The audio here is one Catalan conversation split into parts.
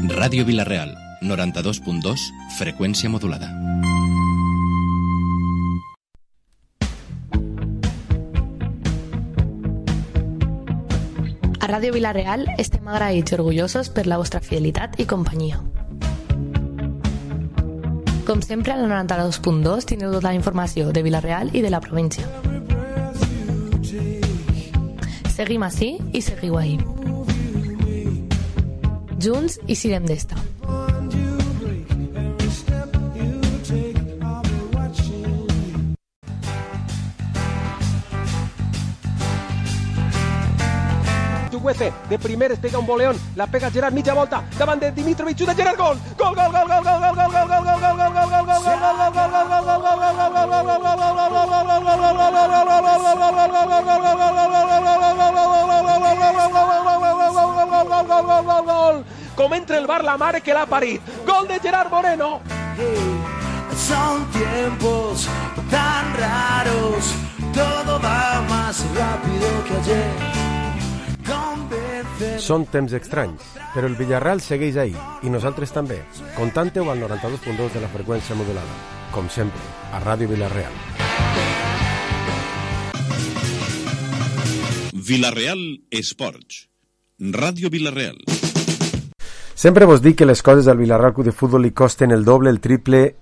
Ràdio Vila-real, 92.2, freqüència modulada. A Ràdio Vila-real estem agraïts i orgullosos per la vostra fidelitat i companyia. Com sempre, a la 92.2 tindreu tota la informació de Vila-real i de la província. Seguim ací i seguiu ahí. Junts i sirem d'esta. Chukwueze, de primer es pega un boleón, la pega Gerard, mitja volta, davant de Dimitrovic, xuta Gerard, gol! Gol, gol, gol, gol, gol, gol, gol, gol, gol, gol, gol, gol, gol, gol, gol, com entra el bar la mare que l'ha parit. Gol de Gerard Moreno. Son tiempos tan raros, todo va más rápido que ayer. Són temps estranys, però el Villarreal segueix ahí, i nosaltres també. Contante-ho al 92.2 de la freqüència modulada. Com sempre, a Ràdio Vila-real. Vila-real Esports. Ràdio Vila-real. Sempre vos dic que les coses al Villarreal Club de Futbol li costen el doble, el triple,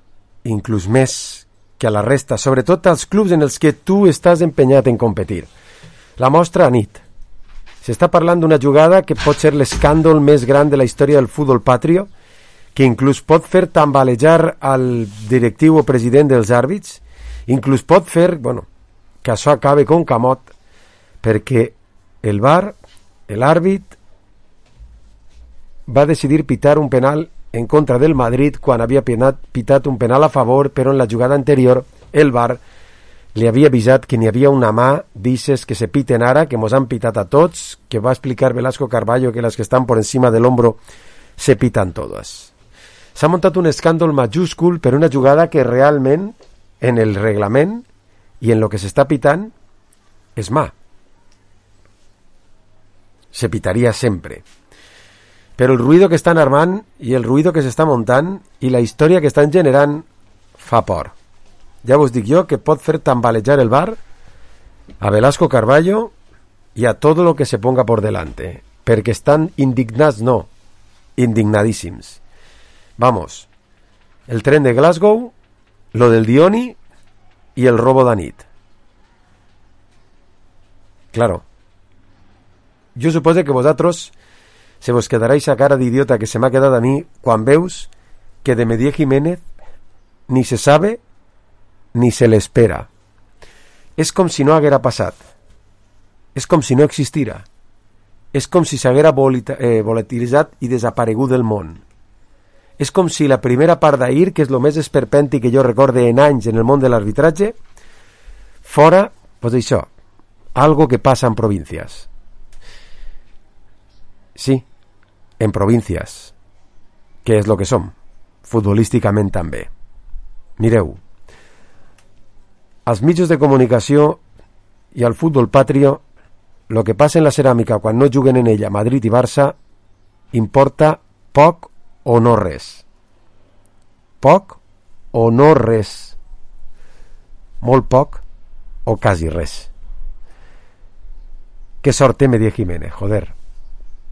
inclús més que a la resta, sobretot als clubs en els que tu estàs empenyat en competir. La mostra a nit. S'està parlant d'una jugada que pot ser l'escàndol més gran de la història del futbol patrio, que inclús pot fer tambalejar al directiu o president dels àrbits, inclús pot fer, que això acabe com camot, perquè el VAR, l'àrbit, va decidir pitar un penal en contra del Madrid quan havia pitat un penal a favor, però en la jugada anterior el VAR li havia avisat que n'hi havia una mà d'ixes que se piten ara, que mos han pitat a tots, que va explicar Velasco Carballo que les que estan por encima del hombro se pitan todas. S'ha muntat un escàndol majúscul per una jugada que realment en el reglament i en lo que s'està pitant és mà. Se pitaria sempre. Però el ruïdo que estan armant i el ruïdo que s'està muntant i la història que estan generant fa por. Ja vos dic jo que pot fer tambalejar el VAR a Velasco Carballo y a todo lo que se ponga por delante, perquè estan indignats, no, indignadíssims. Vamos, el tren de Glasgow, lo del Dioni y el robo d'anit. Claro, jo suposo que vosaltres se vos quedaréis a cara d'idiota que se m'ha quedat a mi quan veus que de Medier Jiménez ni se sabe ni se l'espera. És com si no haguera passat. És com si no existira. És com si s'haguera volatilitzat i desaparegut del món. És com si la primera part d'ahir, que és el més esperpèntic que jo recorde en anys en el món de l'arbitratge, fora, pues això, algo que passa en províncies. Sí, en províncies, que és lo que som, futbolísticament també. Mireu, als mitjans de comunicació i al futbol patrio, lo que passa en la ceràmica quan no juguen en ella Madrid i Barça importa poc o no res. Poc o no res. Molt poc o quasi res. Que sort té Medier Jiménez, joder.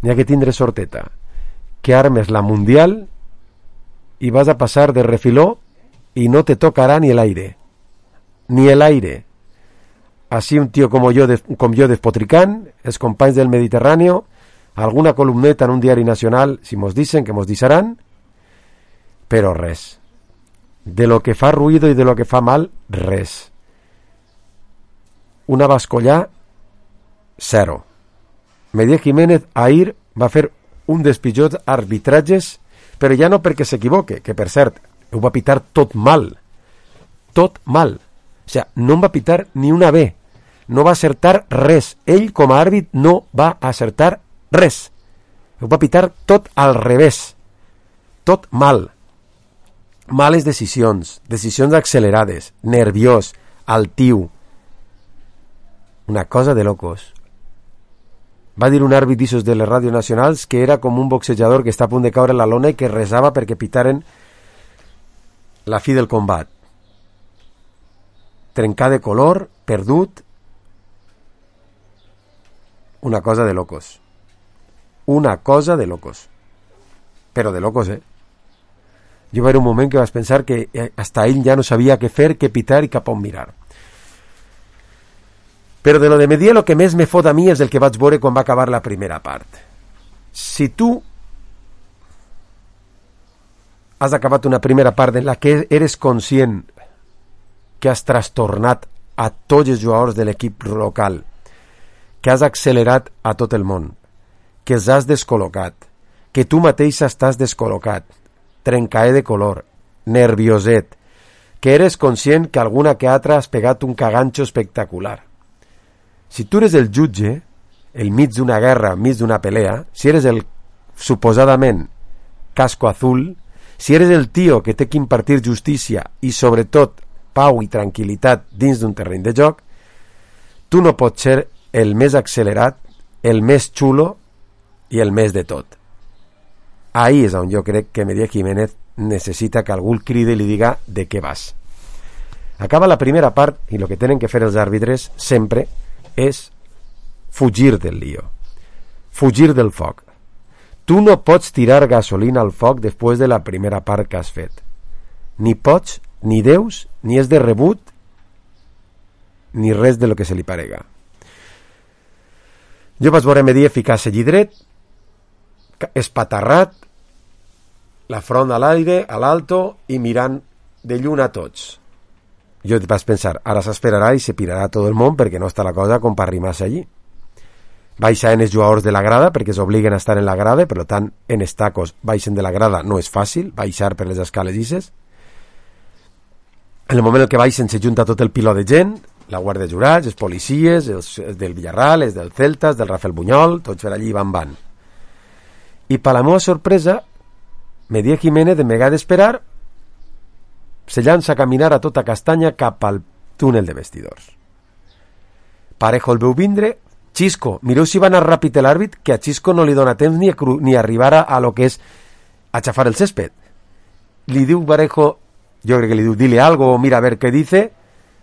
N'hi ha que tindre sorteta. Que armes la Mundial y vas a pasar de refiló y no te tocará ni el aire. Ni el aire. Así un tío como yo despotricant, els companys del Mediterráneo, alguna columneta en un diari nacional, si mos dicen que mos disaran, però res. De lo que fa ruïdo i de lo que fa mal, res. Una bascollà, zero. Medier Jiménez ahir va fer un dels pitjors arbitratges, però ja no perquè s'equivoque, que per cert, ho va pitar tot mal. Tot mal. O sigui, no em va pitar ni una B. No va acertar res. Ell, com a àrbit, no va acertar res. Ho va pitar tot al revés. Tot mal. Males decisions. Decisions accelerades. Nerviós. Altiu. Una cosa de locos. Va dir un àrbit d'issos de les ràdios nacionals que era com un boxejador que està a punt de caure a la lona i que resava perquè pitaren la fi del combat. Trencar de color, perdut, una cosa de locos. Una cosa de locos. Però de locos, Jo va haver un moment que vas pensar que hasta ell ja no sabia què fer, què pitar i cap on mirar. Però de lo de Medier, lo que més me fot a mi és el que vaig veure quan va acabar la primera part. Si tu has acabat una primera part en la que eres conscient que has trastornat a tots els jugadors de l'equip local, que has accelerat a tot el món, que els has descol·locat, que tu mateix estàs descol·locat, trencaer de color, nervioset, que eres conscient que alguna que altra has pegat un caganxo espectacular. Si tu eres el jutge, el mig d'una guerra, mig d'una pelea, si eres el suposadament casco azul, si eres el tio que té que impartir justícia i sobretot pau i tranquil·litat dins d'un terreny de joc, tu no pots ser el més accelerat, el més xulo i el més de tot. Ahí és on jo crec que Medier Jiménez necessita que algú el cridi i li diga de què vas. Acaba la primera part i el que tenen que fer els àrbitres sempre és fugir del lío, fugir del foc. Tu no pots tirar gasolina al foc després de la primera part que has fet. Ni pots, ni deus, ni és de rebut, ni res de lo que se li parega. Jo vaig veure Medier ficar-se allí dret, espatarrat, la front a l'aire, a l'alto, i mirant de lluny a tots. Jo vaig pensar, ara s'esperarà i se pirarà tot el món perquè no està la cosa com per arrimar-se allí. Baixen els jugadors de la grada perquè s'obliguen a estar en la grada, per tant, en els tacos baixen de la grada no és fàcil, baixar per les escales llisses. En el moment en què baixen se junta tot el piló de gent, la guàrdia de jurats, els policies, els del Villarreal, els del Celta, els del Rafael Buñol, tots per allí van. I per la meva sorpresa, Medier Jiménez, en vegada d'esperar, se llança a caminar a tota castanya cap al túnel de vestidors. Parejo el veu vindre. Xisco, mireu si va anar ràpid l'àrbit, que a Xisco no li dona temps ni arribar a lo que és aixafar el césped. Li diu Parejo, jo crec que li diu, dile algo, mira a ver què dice,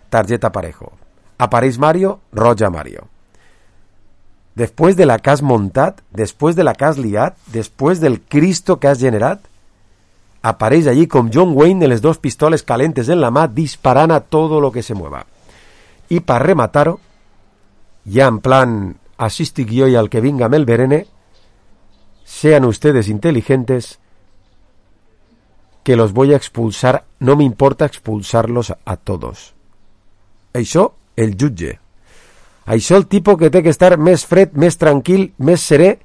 targeta Parejo. Apareix Mario, roja Mario. Després de la que has montat, després de la que has liat, després del Cristo que has generat, apareix allí com John Wayne de les dos pistoles calentes en la mà disparant a todo lo que se mueva. I per rematar-ho, ya en plan, así estic yo y al que venga me el verene, sean ustedes inteligentes, que los voy a expulsar, no me importa expulsarlos a todos. Això, el jutge. Això el tipo que té que estar més fred, més tranquil, més serè,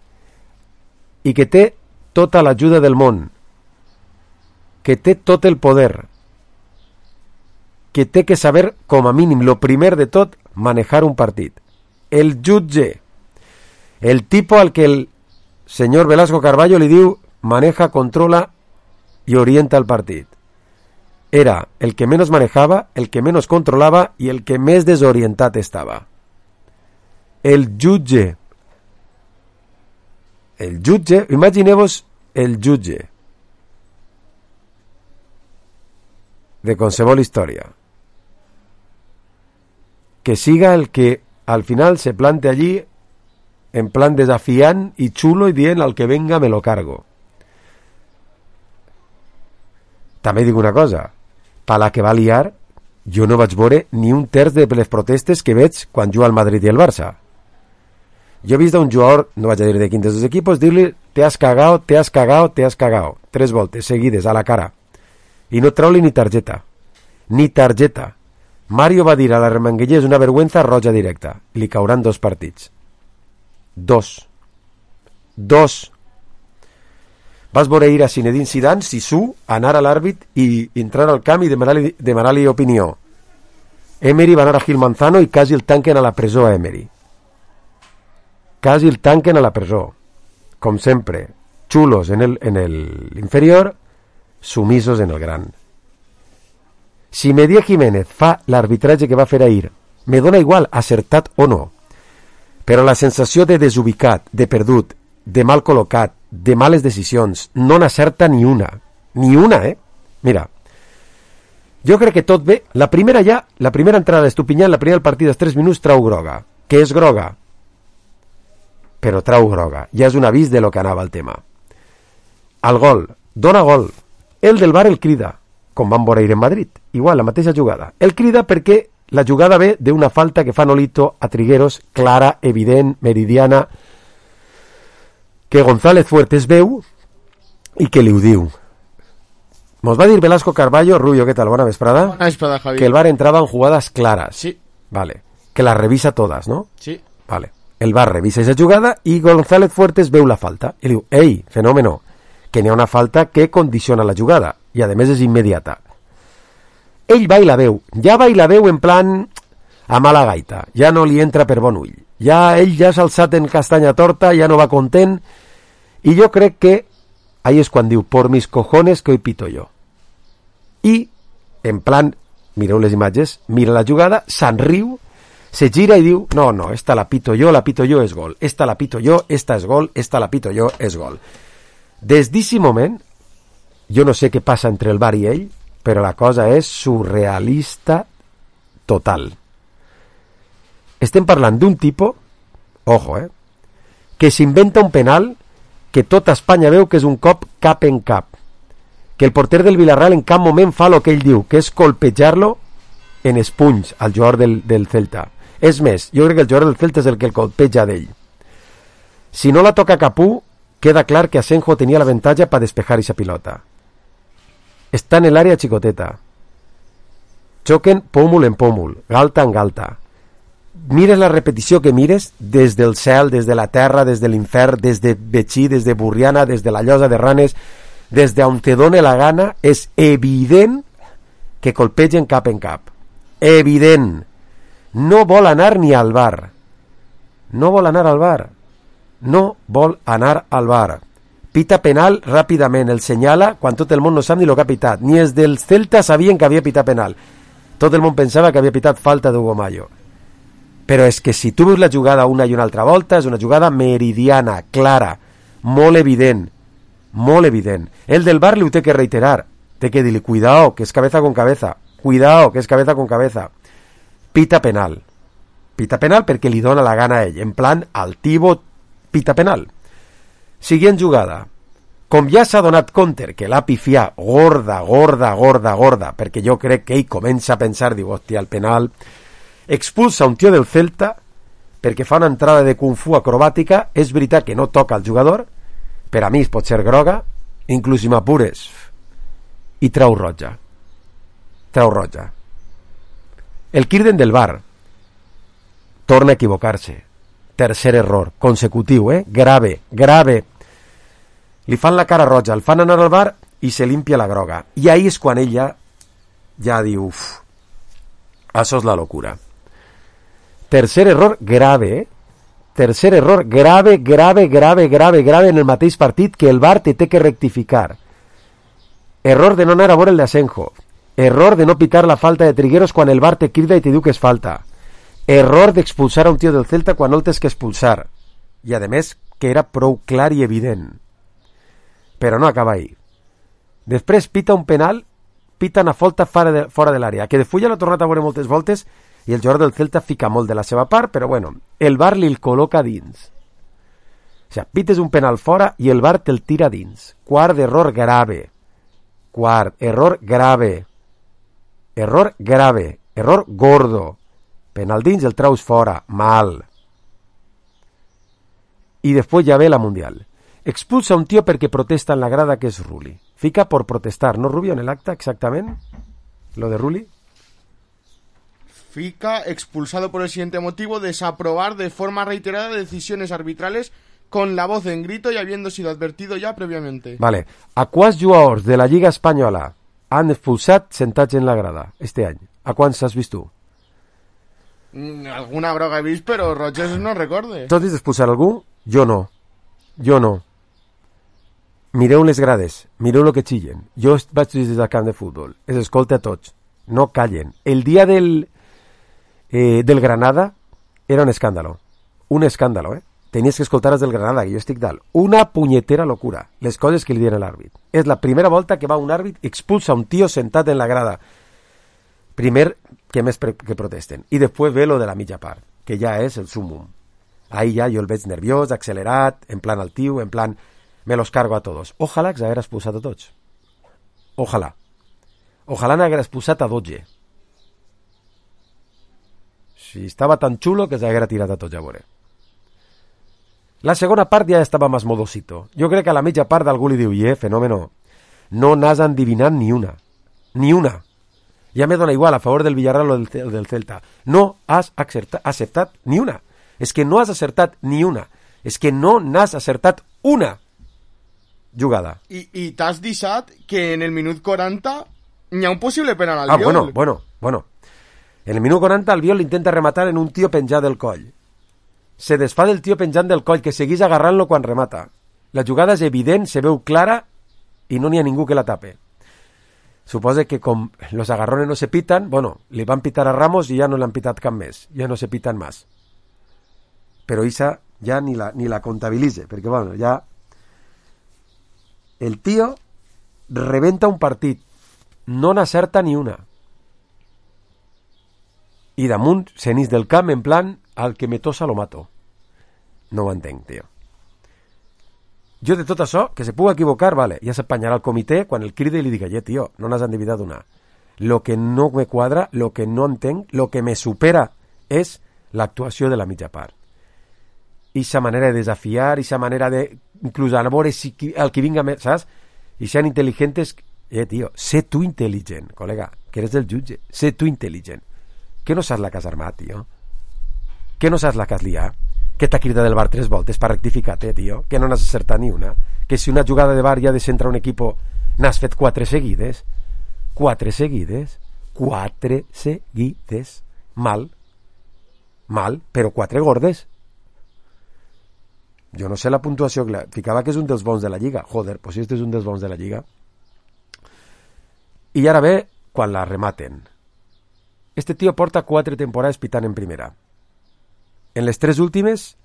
i que té tota l'ajuda del món, que té tot el poder, que té que saber, com a mínim, lo primer de tot, manejar un partit. El jutge, el tipo al que el señor Velasco Carballo li diu maneja, controla y orienta el partit. Era el que menos manejaba, el que menos controlaba y el que més desorientat estava. El jutge. El jutge, imagineu-vos el jutge de qualsevol història. Que siga el que al final se plante allí en plan desafiant y chulo y dient al que venga me lo cargo. També dic una cosa, per la que va liar, jo no vaig veure ni un terç de les protestes que veig quan juga el Madrid i el Barça. Jo he vist a un jugador, no vaig a dir de quin dels dos equipos, dir-li te has cagao, te has cagao, te has cagao, 3 voltes seguides a la cara. I no treu-li ni targeta. Ni targeta. Mario va dir a la Remanguellés una vergüenza, roja directa. Li cauran 2 partits. 2. Vas veure ir a Zinedine Zidane, Sisu, anar a l'àrbit i entrar al camp i demanar-li opinió. Emery va anar a Gil Manzano i quasi el tanquen a la presó a Emery. Quasi el tanquen a la presó. Com sempre, chulos en el inferior, sumisos en el gran. Si Medier Jiménez fa l'arbitratge que va fer ahir, me dona igual, acertat o no. però la sensació de desubicat, de perdut, de mal col·locat, de males decisions, no n'acerta ni una. Ni una, Mira, jo crec que tot bé. La primera entrada d'Estupinyán, la primera partida dels 3 minuts, trau groga. Que és groga? Però trau groga. Ja és un avís de lo que anava el tema. El gol, dona gol. El del VAR el crida, com van veure en Madrid. Igual, la mateixa jugada. El crida perquè la jugada ve d'una falta que fa Nolito a Trigueros, clara, evident, meridiana, que González Fuertes veu i que li ho diu. Mos va dir Velasco Carballo, Rubio, què tal? Bona vesprada. Bona vesprada, Javi. Que el VAR entraba en jugadas claras. Sí. Vale. Que las revisa todas, ¿no? Sí. Vale. El VAR revisa esa jugada y González Fuertes veu la falta. I diu, ei, fenómeno, que n'hi ha una falta que condiciona la jugada i a més és immediata. Ell va i la veu. Ja va i la veu en plan a mala gaita. Ja no li entra per bon ull. Ell ja s'ha alçat en castanya torta, ja no va content, i jo crec que ahí és quan diu, por mis cojones que hoy pito yo. I, en plan, mireu les imatges, mira la jugada, se'n riu, se gira i diu, no, esta la pito yo, és gol. Esta la pito yo, esta és gol, esta la pito yo, és gol. Des d'aquest moment, jo no sé què passa entre el VAR i ell, però la cosa és surrealista total. Estem parlant d'un tipus, ojo, que s'inventa un penal que tota Espanya veu que és un cop cap en cap, que el porter del Villarreal en cap moment fa el que ell diu, que és colpejar-lo en espunys al jugador del Celta. És més, jo crec que el jugador del Celta és el que el colpeja d'ell. Si no la toca Capú, queda clar que Asenjo tenia l'avantatge per despejar esa pilota. Està en l'àrea xicoteta. Xoquen pòmul en pòmul, galta en galta. Mires la repetició que mires, des del cel, des de la terra, des de l'infern, des de Betxí, des de Burriana, des de la Llosa de Ranes, des d'on te done la gana, és evident que colpegen cap en cap. Evident. No vol anar ni al VAR. No vol anar al VAR. No vol anar al VAR. Pita penal ràpidament, el senyala quan tot el món no sap ni el que ha pitat. Ni els del Celta sabien que havia pitat penal. Tot el món pensava que havia pitat falta d'Hugo Mayo. Però és que si tu veus la jugada una i una altra volta, és una jugada meridiana, clara, molt evident, molt evident. El del VAR li ho té que reiterar, té que dir-li, cuidao, que és cabeza con cabeza, cuidao, que és cabeza con cabeza. Pita penal perquè li dona la gana a ell, en plan altivo, pita penal. Siguient jugada, com ja s'ha donat compte que l'ha pifiat gorda, perquè jo crec que ell comença a pensar, diu, hòstia, el penal, expulsa un tio del Celta perquè fa una entrada de Kung Fu acrobàtica. És veritat que no toca el jugador, per a mi pot ser groga, inclús si m'apures, i trau roja. El criden del VAR, torna a equivocar-se, tercer error consecutiu, grave, li fan la cara roja, el fan anar al VAR i se limpia la groga, i ahí és quan ella ja diu, això és la locura. Tercer error grave, grave en el mateix partit, que el VAR té que rectificar. Error de no anar a veure el de Asenjo. Error de no pitar la falta de Trigueros quan el VAR te crida i te diu que és falta. Error d'expulsar a un tio del Celta quan no el tens que expulsar. I a més que era prou clar i evident. Però no acaba ahí. Després pita un penal, pita una falta fora de l'àrea, que de fulla l'ha tornat a veure moltes voltes i el jugador del Celta fica molt de la seva part, però bueno, el VAR li el col·loca dins. O sigui, pites un penal fora i el VAR te'l tira dins. Quart error grave. Error gordo. Penal dins, el traus fora. Mal. I després ja ve la Mundial. Expulsa un tío perquè protesta en la grada, que és Rulli. Fica por protestar, ¿no, Rubio, en el acta exactament? Lo de Rulli. Fica expulsado por el siguiente motivo: desaprobar de forma reiterada decisiones arbitrales con la voz en grito y habiendo sido advertido ya previamente. Vale. A quants jugadors de la Lliga Espanyola han expulsat sentats en la grada este any? A quants has vist tu? Alguna groga he vist, però Rogers no recorde. Tu has vist expulsar algú? Jo no. Mireu les grades, mireu el que xillen. Jo vaig des del camp de futbol, es escolta a tots, no callen. El dia del Granada era un escàndalo. un escàndalo, Tenies que escoltar els del Granada, que jo estic dalt. Una punyetera locura, les coses que li diuen a l'àrbit. És la primera volta que va un àrbit i expulsa un tio sentat en la grada. Primer, que més que protesten. I després ve lo de la mitja part, que ja és el sumum. Ahí ja jo el veig nerviós, accelerat, en plan altiu, en plan me los cargo a todos. Ojalà que s'haguera expulsat a tots. Ojalà. Ojalà n'haguera expulsat a 12. Si estava tan xulo que s'haguera tirat a tots, ja veuré. La segona part ja estava més modosito. Jo crec que a la mitja part algú li diu, fenòmeno, no n'has endivinat ni una. Ni una. Ja me dona igual a favor del Villarreal o del Celta. No has acertat ni una. És que no has acertat ni una. És que no n'has acertat una jugada. I t'has deixat que en el minut 40 n'hi ha un possible penal al Biol. Bueno. En el minut 40 el Biol intenta rematar en un tio penjat del coll. Se desfà del tio penjant del coll, que seguís agarrant-lo quan remata. La jugada és evident, se veu clara i no n'hi ha ningú que la tape. Suposa que com los agarrones no se pitan, li van pitar a Ramos i ja no l'han pitat cap més. Ja no se pitan més. Però Isa ja ni la comptabilitza, perquè ja el tio rebenta un partit, no n'acerta ni una. I damunt s'enís del camp en plan al que me tosa lo mato. No ho entenc, tio. Jo de tot això, que se pugui equivocar, vale, ja s'apanyarà el comitè quan el cride i li diga, tio, no n'has endividat una. Lo que no me quadra, lo que no entenc, lo que me supera és l'actuació de la mitja part. Ixa manera de desafiar, ixa manera de inclús a veure si el que vinga més, saps? I sean intel·ligents, tio, sé tu intel·ligent, col·lega, que eres el jutge, sé tu intel·ligent. Que no saps la que has armat, tio? Que no saps la que has liat? Que t'ha cridat del bar 3 voltes per rectificar-te, tio? Que no n'has acertat ni una? Que si una jugada de bar ja descentra un equip n'has fet 4 seguides? 4 seguides? 4 seguides? Mal, però 4 gordes. Jo no sé la puntuació, ficava que és un dels bons de la Lliga. Joder, pues si este és un dels bons de la Lliga. I ara ve quan la rematen. Este tio porta 4 temporades pitant en primera. En les 3 últimes,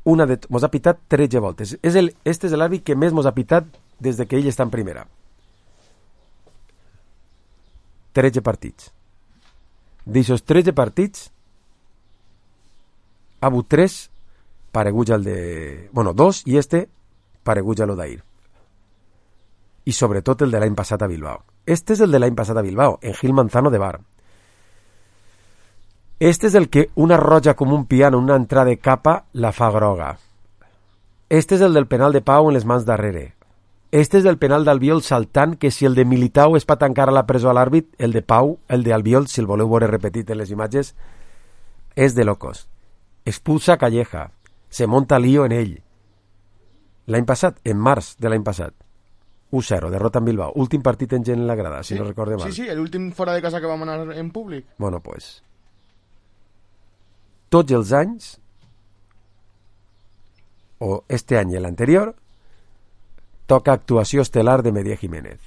mos ha pitat 13 voltes. Este és l'àrbit que més mos ha pitat des que ell està en primera. 13 partits. D'aixòs 13 partits, ha hagut 3 pareguts al de... 2 i pareguts a l'Odair. I sobretot el de l'any passat a Bilbao. Este és el de l'any passat a Bilbao, en Gil Manzano de bar. Este és el que una roja com un piano, una entrada de capa, la fa groga. Este és el del penal de Pau en les mans darrere. Este és el penal d'Albiol saltant, que si el de Militao és per tancar a la presó a l'àrbit, el de Pau, el d'Albiol, si el voleu veure repetit en les imatges, és de locos. Expulsa Calleja. Se monta lío en ell. L'any passat, en març de l'any passat, 1-0, derrota en Bilbao. Últim partit en gent en la grada, si no recorde mal. Sí, l'últim fora de casa que vam anar en públic. Bueno, pues... Tots els anys, o este any i l'anterior, toca actuació estel·lar de Medier Jiménez.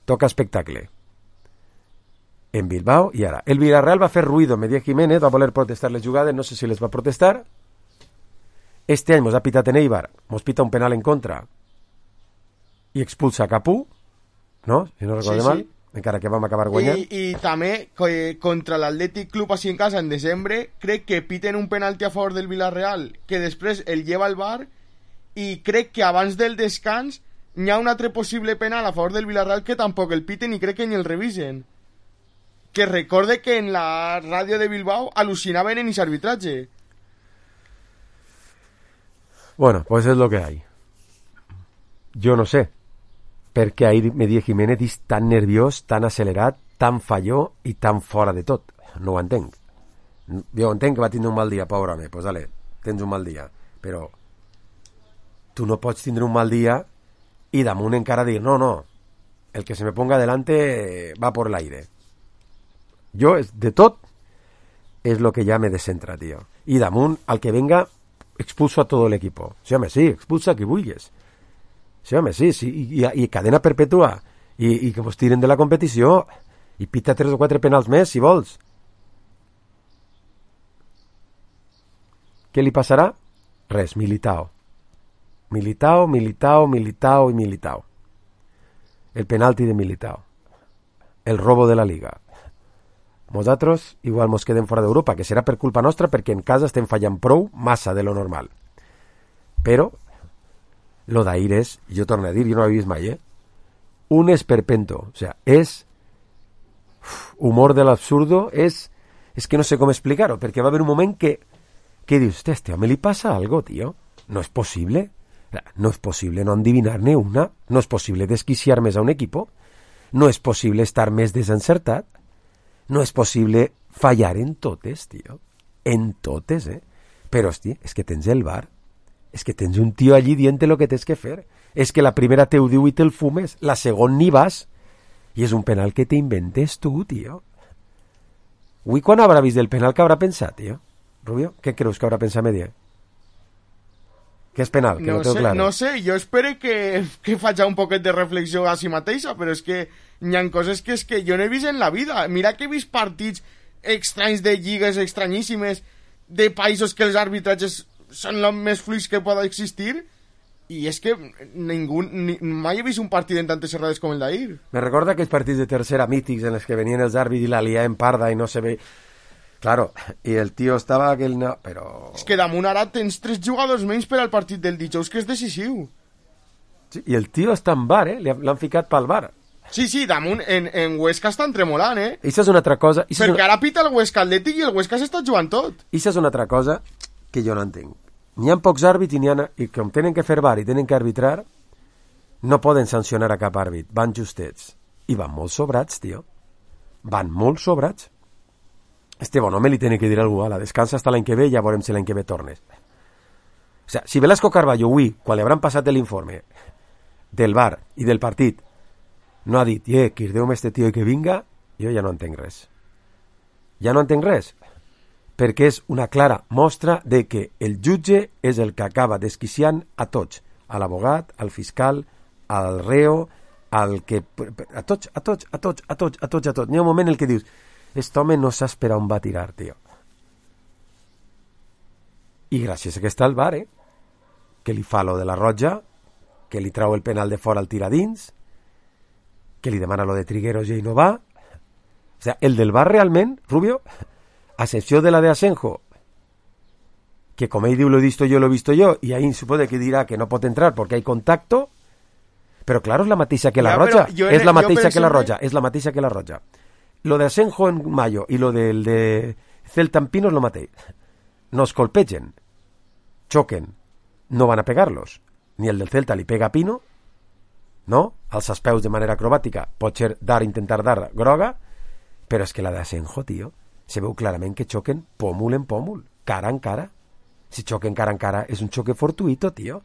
Toca espectacle. En Bilbao i ara. El Villarreal va fer ruido. Medier Jiménez va voler protestar les jugades, no sé si les va protestar. Este any mos ha pitat en Eibar, mos pita un penal en contra i expulsa Capú, no? Si no recordo mal. Encara que vam acabar guanyant. I també contra l'Atlètic Club així en casa en desembre crec que piten un penalti a favor del Villarreal que després el lleva al bar i crec que abans del descans n'hi ha un altre possible penal a favor del Villarreal que tampoc el piten i crec que ni el revisen, que recorde que en la ràdio de Bilbao al·lucinaven en ese arbitratge. Bueno, pues es lo que hay. Yo no sé perquè ahir Medier Jiménez és tan nerviós, tan accelerat, tan falló i tan fora de tot. No ho entenc. Jo entenc que va tindre un mal dia, pobre home. Pues dale, tens un mal dia. Però tu no pots tindre un mal dia i damunt encara dir, no, el que se me ponga delante va por l'aire. Jo, de tot, és lo que ja me descentra, tio. I damunt, al que venga, expulso a todo el equipo. Sí, home, sí, expulsa a qui vulguis. Sí, home, sí, i cadena perpètua, i que vos tiren de la competició, i pita 3 o 4 penals més, si vols. Què li passarà? Res, Militao. Militao. El penalti de Militao. El robo de la Liga. Nosaltres igual mos quedem fora d'Europa, que serà per culpa nostra perquè en casa estem fallant prou massa de lo normal. Però lo d'ahir és, jo torno a dir, jo no ho he vist mai, un esperpento. O sea, és humor de l'absurdo, és que no sé com explicar-ho, perquè va haver un moment que dius, hòstia, me li passa algo, tio. No és possible. No és possible no endivinar-ne una. No és possible desquiciar més a un equipo. No és possible estar més desencertat. No és possible fallar en totes, tio. En totes, Però, hòstia, és que tens el VAR. És que tens un tio allí dient lo que tens que fer. És que la primera te ho diu i te'l fumes. La segona ni vas. I és un penal que t'inventes tu, tio. Avui quan haurà vist el penal que haurà pensat, tio? Rubio, què creus que haurà pensat Medier? Que és penal, que no tengo claro. No sé, jo espero que faci un poquet de reflexió a si mateixa, però és que hi ha coses que és que jo no he vist en la vida. Mira que he vist partits estranys de lligues estranyíssimes, de països que els arbitratges són els més fluids que poden existir, i és que mai he vist un partit en tantes errades com el d'ahir. Me recorda aquells partits de tercera mítics en els que venien els àrbits i la liaven parda i no se ve... Claro, i el tio estava aquell... No, però... És que damunt ara tens 3 jugadors menys per al partit del dijous, que és decisiu. Sí, i el tio està en VAR, L'han ficat pel VAR. Sí, damunt, en Huesca estan tremolant, Això és una altra cosa... Perquè ara pita el Huesca Atlètic i el Huesca s'està jugant tot. Això és una altra cosa que jo no entenc. N'hi ha pocs àrbits i com tenen que fer VAR i tenen que arbitrar, no poden sancionar a cap àrbit. Van justets. I van molt sobrats, tio. Van molt sobrats. Este bon home li tiene que dir a algú, ala, descansa hasta l'any que ve i ja veurem si l'any que ve tornes. O sea, si Velasco Carballo avui, quan li hauran passat l'informe del VAR i del partit, no ha dit, quirdeu-me este tio i que vinga, jo ja no entenc res. Ja no entenc res. Perquè és una clara mostra de que el jutge és el que acaba desquiciant a tots. A l'abogat, al fiscal, al reo, al que... A tots. N'hi ha un moment en el que dius, aquest home no saps per on va tirar, tio. I gràcies a que està el VAR, que li fa lo de la roja, que li trau el penal de fora al tiradins, que li demana lo de Trigueros i ell no va. O sea, el del VAR realment, Rubio, a excepció de la de Asenjo, que com ell diu lo he visto yo, i ahí supone que dirà que no pot entrar perquè hay contacto, però claro, és la mateixa que la roja. És la mateixa que la roja. És la mateixa que la roja. Lo de Asenjo en Mayo y lo del de Celta en Pino es lo mateix. Nos colpegen, choquen, no van a pegarlos. Ni el del Celta li pega a Pino, no? Als peus de manera acrobàtica, pot ser intentar dar groga, però és que la de Asenjo, tio, se veu clarament que xoquen pòmul en pòmul, cara en cara. Si xoquen cara en cara és un xoque fortuito, tio.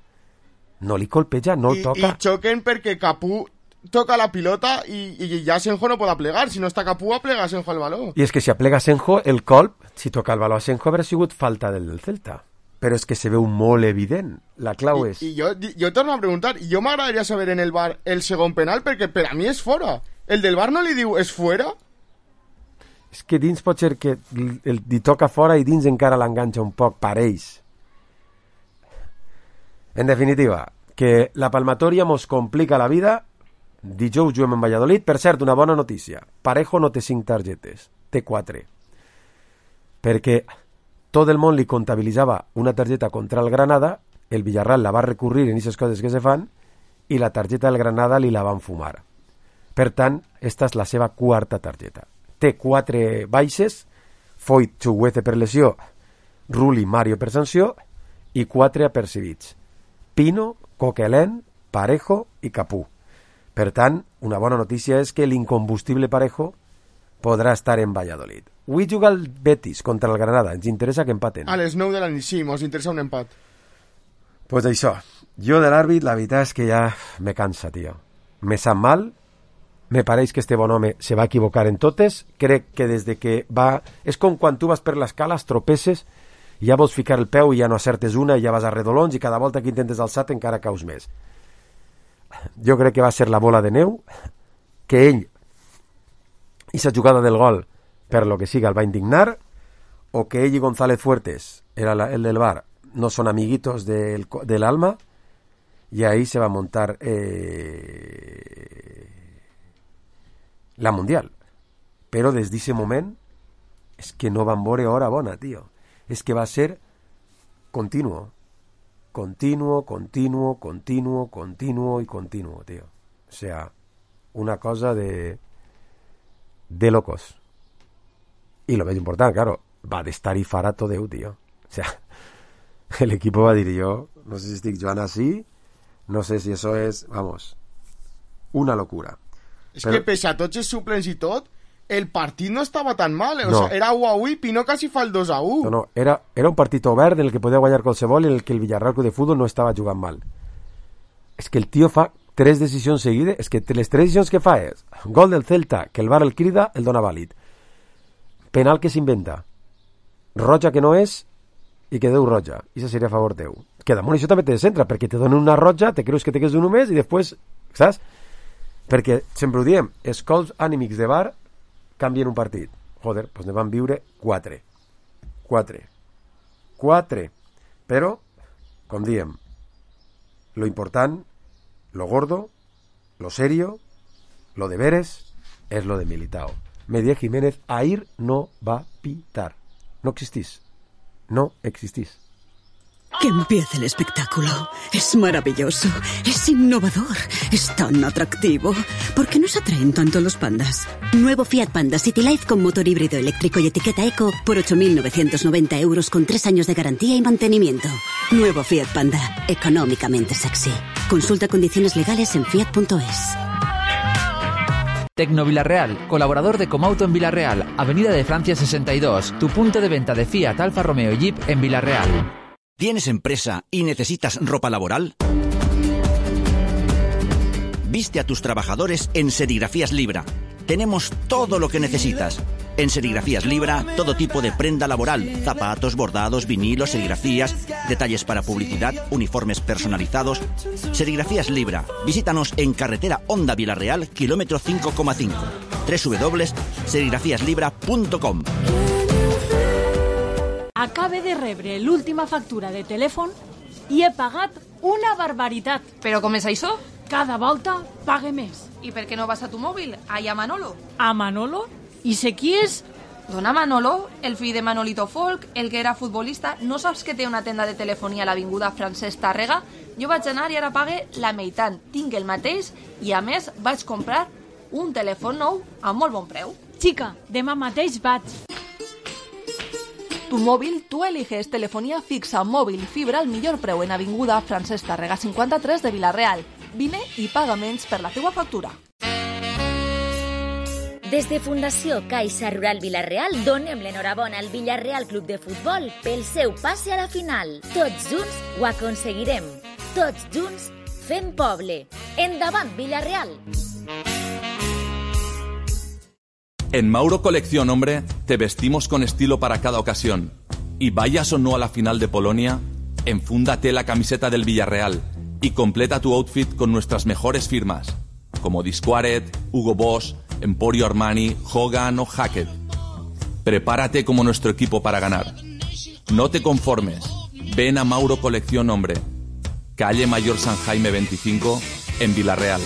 No li colpeja, no el toca. I xoquen perquè Capú toca la pilota i ja Asenjo no pot plegar. Si no està Capú, aplega Asenjo el baló. I és que si aplega Asenjo, el colp, si toca el baló Asenjo, haurà sigut falta del Celta. Però és que se veu molt evident. La clau és... I jo torno a preguntar, jo m'agradaria saber en el VAR el segon penal, perquè per a mi és fora. El del VAR no li diu és fora? És que dins pot ser que li toca fora i dins encara l'enganxa un poc, pareix. En definitiva, que la palmatòria mos complica la vida. Dijous juguem en Valladolid. Per cert, una bona notícia. Parejo no té 5 targetes, té 4. Perquè tot el món li comptabilitzava una targeta contra el Granada, el Villarreal la va recurrir en aquestes coses que se fan, i la targeta del Granada li la van fumar. Per tant, esta és la seva 4ª targeta. Té 4 baixes, Foyt, Chuguece per lesió, Rulli, Mario per sanció, i 4 apercibits. Pino, Coquelin, Parejo i Capú. Per tant, una bona notícia és que l'incombustible Parejo podrà estar en Valladolid. Avui juga el Betis contra el Granada. Ens interessa que empaten. A les 9 de la nit, sí, ens interessa un empat. Pues això. Jo de l'àrbit, la veritat és que ja me cansa, tio. Me sap mal. Me pareix que este bon home se va equivocar en totes. Crec que des de que va... És com quan tu vas per l'escala, tropeces, i ja vols ficar el peu i ja no acertes una i ja vas a redolons i cada volta que intentes alçar encara caus més. Jo crec que va ser la bola de neu, que ell, i sa jugada del gol, per lo que siga, el va indignar, o que ella y González Fuertes, el del bar, no son amiguitos del alma, y ahí se va a montar la Mundial. Pero desde ese momento es que no van veure hora bona, tío. Es que va a ser continuo, tío. O sea, una cosa de locos. Y lo más importante, claro, va de estar y farà tot Déu, tío. O sea, el equipo va a decir, yo no sé si estoy jugando así, no sé si eso es, vamos, una locura. Es que pese a tots els suplents i tot, el partit no estava tan mal. O sea, era 1-1 i Pino quasi fa el 2-1. No, era un partit obert en el que podia guanyar qualsevol i en el que el Villarreal Club de Fútbol no estava jugant mal. És que el tio fa 3 decisions seguides. És que les 3 decisions que fa és gol del Celta, que el VAR el crida, el dona vàlid. Penal que s'inventa. Roja que no és i que deu roja. I això seria a favor teu. Que damunt això també te descentra, perquè te donen una roja, te creus que te quedes d'un només i després, saps? Perquè sempre ho diem, els cols ànimics de VAR canvien un partit. Joder, doncs ne van viure 4. Però, com diem, lo important, lo gordo, lo serio, lo de veres, és lo de Militao. Medía Jiménez ahir no va pitar. No existís. Que empiece el espectáculo. Es maravilloso, es innovador, es tan atractivo. ¿Por qué nos atraen tanto los pandas? Nuevo Fiat Panda City Life con motor híbrido eléctrico y etiqueta eco por 8.990 € con 3 años de garantía y mantenimiento. Nuevo Fiat Panda, Económicamente sexy. Consulta condiciones legales en fiat.es. Tecno Villarreal, colaborador de Comauto en Villarreal, Avenida de Francia 62, tu punto de venta de Fiat, Alfa Romeo y Jeep en Villarreal. ¿Tienes empresa y necesitas ropa laboral? Viste a tus trabajadores en Serigrafías Libra. Tenemos todo lo que necesitas. En Serigrafías Libra, todo tipo de prenda laboral, zapatos, bordados, vinilos, serigrafías, detalles para publicidad, uniformes personalizados. Serigrafías Libra. Visítanos en carretera Honda Villarreal, kilómetro 5,5. www.serigrafiaslibra.com. Acabe de rebre l'última factura de telèfon i he pagat una barbaritat. Però com és això? Cada volta pague més. I per què no vas a tu mòbil? Allà a Manolo. A Manolo? I sé qui és? Dona Manolo, el fill de Manolito Folk, el que era futbolista. No saps que té una tenda de telefonia a l'avinguda Francesc Tàrrega? Jo vaig anar i ara pague la meitat. Tinc el mateix i a més vaig comprar un telèfon nou a molt bon preu. Xica, demà mateix vaig. Tu móvil, tú eliges telefonía fixa, móvil, fibra al millor preu en avinguda Francesc Tàrrega 53 de Villarreal. Vine i paga menys per la teua factura. Des de Fundació Caixa Rural Villarreal donem l'enhorabona al Villarreal Club de Futbol pel seu passe a la final. Tots junts ho aconseguirem. Tots junts fem poble. Endavant, Villarreal! En Mauro Colección Hombre te vestimos con estilo para cada ocasión. Y vayas o no a la final de Polonia, enfúndate la camiseta del Villarreal y completa tu outfit con nuestras mejores firmas, como Disquaret, Hugo Boss, Emporio Armani, Hogan o Hackett. Prepárate como nuestro equipo para ganar. No te conformes. Ven a Mauro Colección Hombre, calle Mayor San Jaime 25, en Villarreal.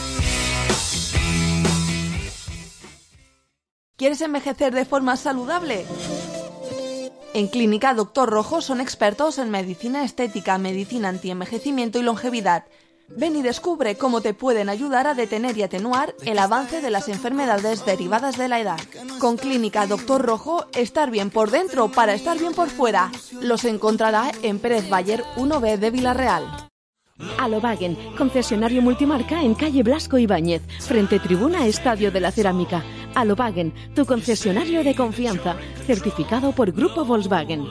¿Quieres envejecer de forma saludable? En Clínica Dr. Rojo son expertos en medicina estética, medicina antienvejecimiento y longevidad. Ven y descubre cómo te pueden ayudar a detener y atenuar el avance de las enfermedades derivadas de la edad. Con Clínica Dr. Rojo, estar bien por dentro para estar bien por fuera. Los encontrará en Pérez Bayer 1B de Villarreal. Alobagen, concesionario multimarca en calle Blasco Ibáñez, frente tribuna Estadio de la Cerámica. Alobagen, tu concesionario de confianza, certificado por Grupo Volkswagen.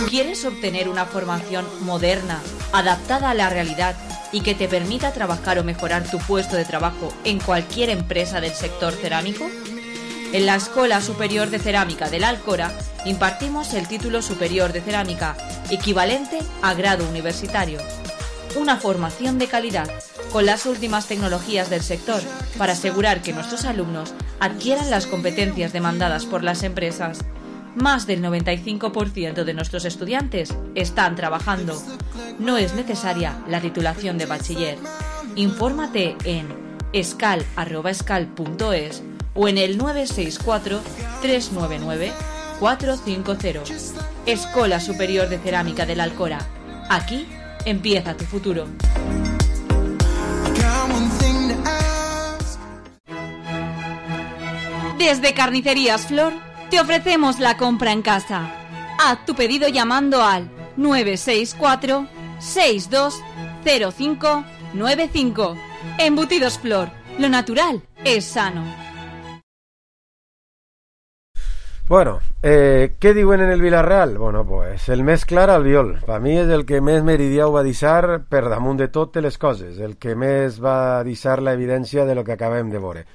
¿Quieres obtener una formación moderna, adaptada a la realidad y que te permita trabajar o mejorar tu puesto de trabajo en cualquier empresa del sector cerámico? En la Escuela Superior de Cerámica de la Alcora impartimos el título superior de cerámica, equivalente a grado universitario. Una formación de calidad, con las últimas tecnologías del sector, para asegurar que nuestros alumnos adquieran las competencias demandadas por las empresas. Más del 95% de nuestros estudiantes están trabajando. No es necesaria la titulación de bachiller. Infórmate en escal@escal.es o en el 964 399 450. Escola Superior de Cerámica del Alcora. Aquí empieza tu futuro. Desde Carnicerías Flor te ofrecemos la compra en casa. Haz tu pedido llamando al 964 620595. Embutidos Flor, lo natural es sano. Bueno, què diuen en el Villarreal? Bueno, pues el més clar Albiol. Per mi és el que més meridià ho va deixar per damunt de totes les coses, el que més va deixar la evidència de lo que acabem de veure.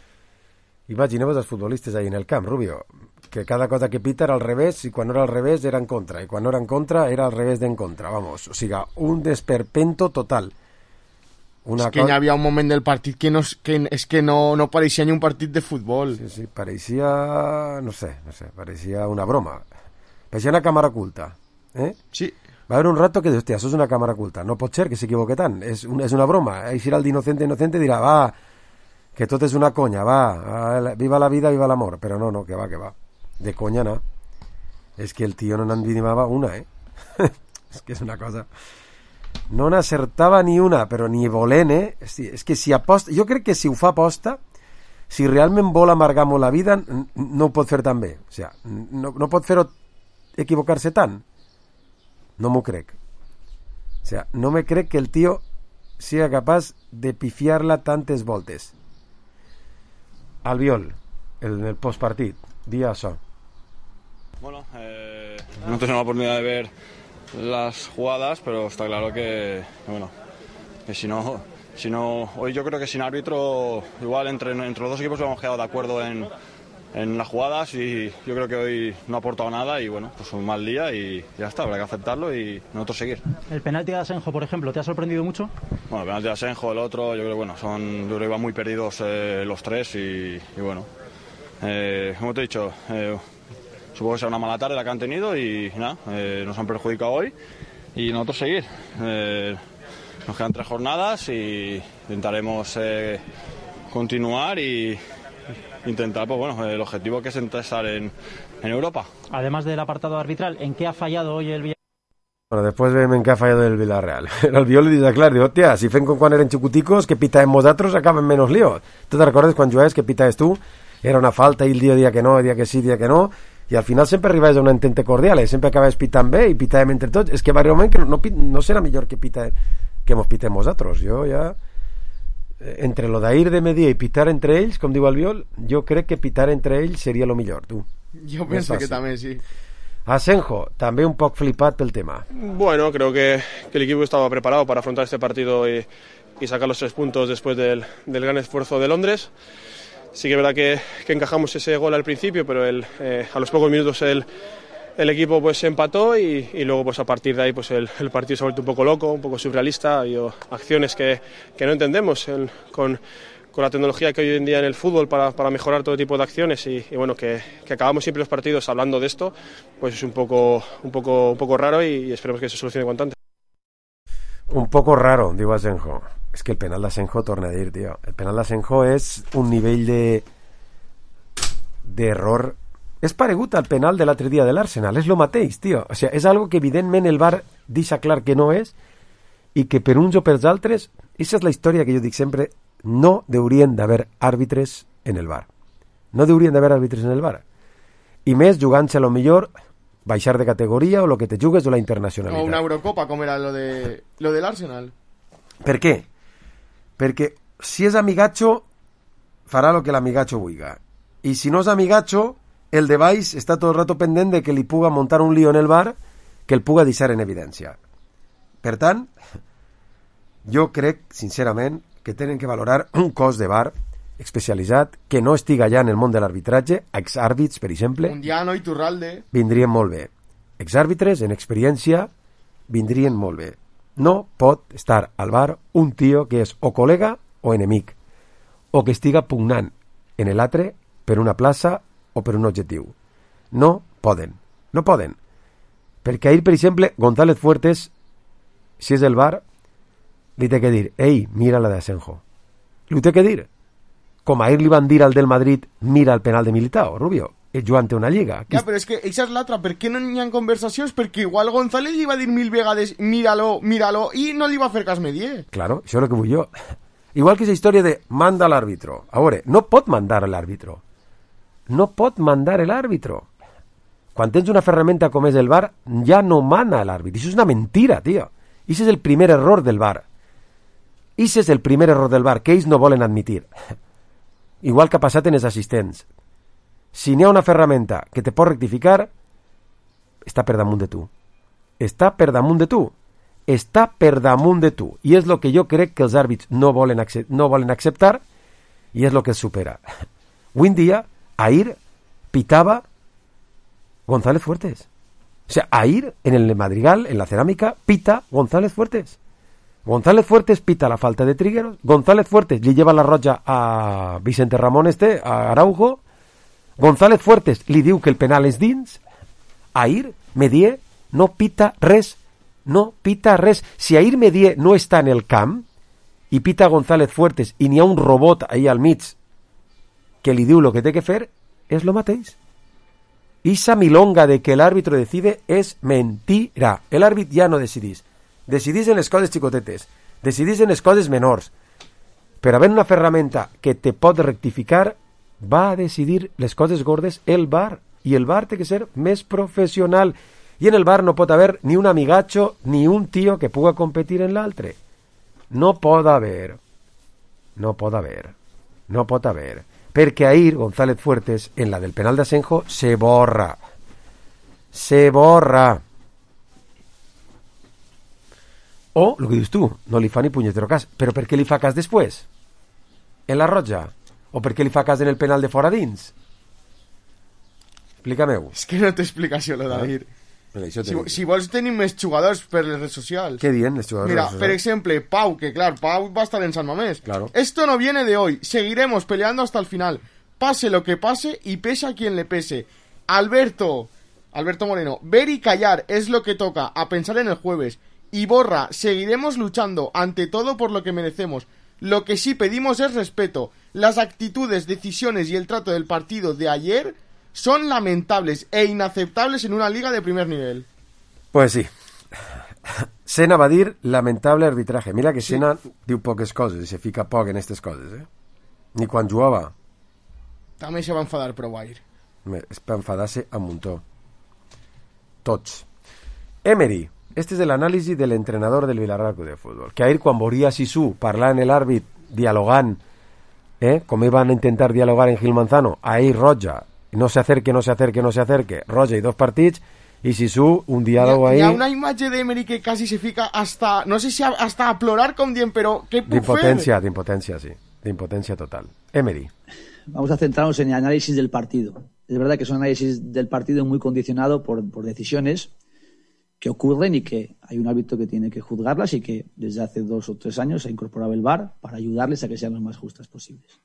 Imagineu-vos els futbolistes ahí en el camp, Rubio, que cada cosa que pita era al revés, i quan no era al revés era en contra, i quan no era en contra era al revés d'en contra, vamos, o sigui, un desperpento total. És que hi havia un moment del partit que no pareixia ni un partit de futbol. Sí, pareixia, no sé, pareixia una broma, pareixia una càmera oculta, Sí. Va haver un rato que dius, hòstia, això és una càmera oculta, no pot ser que s'equivoque tant, és una broma, eixirà el d'innocente dirà, va, que tot és una conya, va, viva la vida, viva l'amor, però no, que va, de conya no, és que el tio no n'envinimava una, és que és una cosa, no n'acertava ni una, però ni volent, és que si aposta, jo crec que si ho fa aposta, si realment vol amargar molt la vida, no ho pot fer tan bé, o sigui, no pot fer-ho equivocar-se tant, no m'ho crec, o sigui, no me crec que el tio sigui capaç de pifiar-la tantes voltes. Albiol, en el postpartit, di això. Bueno, no tengo la oportunidad de ver las jugadas, pero está claro que si no, hoy yo creo que sin árbitro, igual entre los dos equipos hemos quedado de acuerdo en las jugadas y yo creo que hoy no ha aportado nada y bueno, pues un mal día y ya está, habrá que aceptarlo y nosotros seguir. ¿El penalti de Asenjo, por ejemplo, te ha sorprendido mucho? Bueno, el penalti de Asenjo, el otro, yo creo que iban muy perdidos los tres y bueno, como te he dicho, supongo que será una mala tarde la que han tenido y nada, nos han perjudicado hoy y nosotros seguir. Nos quedan 3 jornadas y intentaremos continuar y intentar, pues bueno, el objetivo que es estar en Europa. Además del apartado arbitral, ¿en qué ha fallado hoy el Villarreal? Bueno, después ven en què ha fallat el Villarreal. El Albiol li diu, clar, diu, hòstia, si fem com quan eren xicoticos, que pitàvem nosaltres, acaben menos lío. Tu te recordes quan jugaves que pitaves tu? Era una falta i el dia que no, dia que sí, dia que no, i al final sempre arribaves a un entente cordial, sempre acabaves pitant bé i pitàvem entre tots. És que va arribar un moment que no serà millor que mos pitem nosaltres. Jo ja... entre lo d'ahir de medir i pitar entre ells, com diu Albiol, jo crec que pitar entre ells seria lo millor, tu. Jo penso que també, sí. Asenjo, també un poc flipat pel tema. Bueno, creo que el equipo estaba preparado para afrontar este partido y sacar los 3 puntos después del gran esfuerzo de Londres. Sí que es verdad que encajamos ese gol al principio, pero a los pocos minutos el equipo pues empató y luego pues a partir de ahí pues el partido se ha vuelto un poco loco, un poco surrealista. Ha habido acciones que no entendemos con la tecnología que hay hoy en día en el fútbol para mejorar todo tipo de acciones y bueno, que acabamos siempre los partidos hablando de esto, pues es un poco raro y esperemos que se solucione cuanto antes. Un poco raro, diu Asenjo. És que el penal d'Asenjo, torna a dir, tio, el penal d'Asenjo és un nivell d'error. És paregut al penal de l'altre dia de l'Arsenal, és lo mateix, tio. O sigui, és algo que evidentment el VAR deixa clar que no és i que per uns o per altres, aquesta és la història que jo dic sempre, no haurien d'haver àrbitres en el VAR. No haurien d'haver àrbitres en el VAR. I més jugant-se a lo millor baixar de categoria o lo que te jugues o la internacionalitat. O una Eurocopa, com era lo de l'Arsenal. Per què? Perquè si és amigatxo, farà lo que l'amigatxo vulga. I si no és amigatxo, el de baix està tot el rato pendent de que li puga muntar un lío en el bar que el puga deixar en evidència. Per tant, jo crec, sincerament, que tenen que valorar un cos de bar especialitzat que no estiga ja en el món de l'arbitratge, exàrbits, per exemple. Mundiano i Turralde. Vindrien molt bé. Exàrbitres, en experiència, vindrien molt bé. No pot estar al bar un tio que és o col·lega o enemic, o que estiga pugnant en l'altre per una plaça o per un objectiu. No poden. No poden. Perquè ahir, per exemple, González Fuertes, si és el VAR, li té que dir, ei, mira la d'Asenjo. Li té que dir. Com ahir li van dir al del Madrid, mira el penal de Militao, Rubio, jugant una lliga. Ja, però és que eixa és l'altra. Per què no hi ha conversacions? Perquè igual González li va dir 1000 vegades míralo, i no li va fer cas Medier. Claro, això és el que vull jo. Igual que esa història de manda l'àrbitro. A veure, no pot mandar l'àrbitro. No pot mandar l'àrbitro. Quan tens una ferramenta com és el VAR, ja no mana l'àrbit. Això és una mentira, tio. Això és el primer error del VAR. Això és el primer error del VAR, que ells no volen admitir. Igual que ha passat en els assistents. Si n'hi ha una ferramenta que te pot rectificar, està per damunt de tu. Està per damunt de tu. Està per damunt de tu. I és el que jo crec que els àrbits no volen acceptar i és el que els supera. Avui en dia, ahir pitava González Fuertes. O sea, ahir en el Madrigal, en la Cerámica, pita González Fuertes. González Fuertes pita la falta de Trigueros. González Fuertes li lleva la roja a Vicente Ramón a Araujo. González Fuertes li diu que el penal és dins. Ahir Medier no pita res. No pita res. Si ahir Medier no està en el camp i pita González Fuertes i n'hi ha un robot ahí al mig que li diu lo que té que fer, és lo mateix. Esa milonga de que el árbitro decide es mentira. El árbitro ya no decidís. Decidís en les coses xicotetes. Decidís en les coses menors. Però havent una ferramenta que te pot rectificar, va a decidir les coses gordes el VAR. I el VAR té que ser més professional. I en el VAR no pot haver ni un amigacho ni un tío que puga competir en l'altre. No pot haver. No pot haver. No pot haver. Perquè ahir González Fuertes, en la del penal d'Asenjo, se borra. Se borra. O, el que dius tu, no li fa ni punyetero cas. Però per què li fa cas després? En la roja? O per què li fa cas en el penal de fora dins? Explica-m'ho. És que no té explicació, lo d'ahir. Si vols tenir més jugadors per les redes socials. Què diuen les jugadors? Mira, per exemple, Pau, que clar, Pau va estar en San Mamés. Claro. Esto no viene de hoy, seguiremos peleando hasta el final. Pase lo que pase y pese a quien le pese. Alberto Moreno, ver y callar es lo que toca, a pensar en el jueves. Y Borra, seguiremos luchando ante todo por lo que merecemos. Lo que sí pedimos es respeto. Las actitudes, decisiones y el trato del partido de ayer son lamentables e inaceptables en una liga de primer nivel. Pues sí. Sena va dir lamentable arbitraje. Mira que Sena diu poques coses i se fica poc en aquestes coses, eh? Ni quan jugava. També se va enfadar prou ahir. Es va enfadar-se a muntó. Tots. Emery. Este és l'anàlisi de l'entrenador del Villarreal Club de Futbol. Que ahir quan veuria Sisu parlar en l'àrbit, dialogant, com van intentar dialogar en Gil Manzano, ahir roja, no se acerque, roja i 2 partits, i Sisu un diàleg ahí... Hi ha una imatge d'Emery que quasi se fica hasta, no sé si hasta a plorar com dient, però què puc fer? D'impotencia, sí. D'impotencia total. Emery. Vamos a centrarnos en el análisis del partido. Es verdad que es un análisis del partido muy condicionado por decisiones que ocurren y que hay un árbitro que tiene que juzgarlas y que desde hace 2 o 3 años ha incorporado el VAR para ayudarles a que sean lo más justas posibles.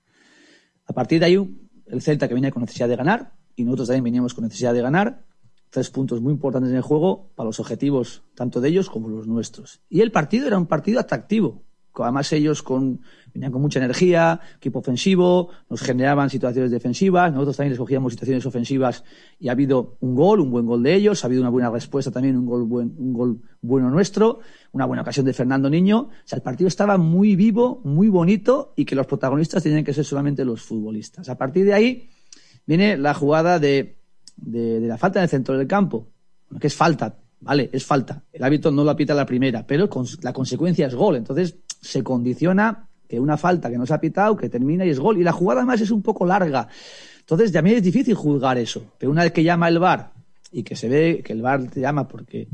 A partir de ahí, el Celta que viene con necesidad de ganar y nosotros también veníamos con necesidad de ganar, 3 puntos muy importantes en el juego para los objetivos tanto de ellos como los nuestros. Y el partido era un partido atractivo. Además ellos venían con mucha energía, equipo ofensivo, nos generaban situaciones defensivas, nosotros también les cogíamos situaciones ofensivas y ha habido un buen gol de ellos, ha habido una buena respuesta también, un gol bueno nuestro, una buena ocasión de Fernando Niño. O sea, el partido estaba muy vivo, muy bonito y que los protagonistas tenían que ser solamente los futbolistas. A partir de ahí viene la jugada de la falta en el centro del campo, que es falta. Vale, es falta. El árbitro no la pita la primera, pero la consecuencia es gol. Entonces se condiciona que una falta que no se ha pitado, que termina y es gol. Y la jugada además es un poco larga. Entonces ya a mí es difícil juzgar eso. Pero una vez que llama el VAR y que se ve que el VAR te llama porque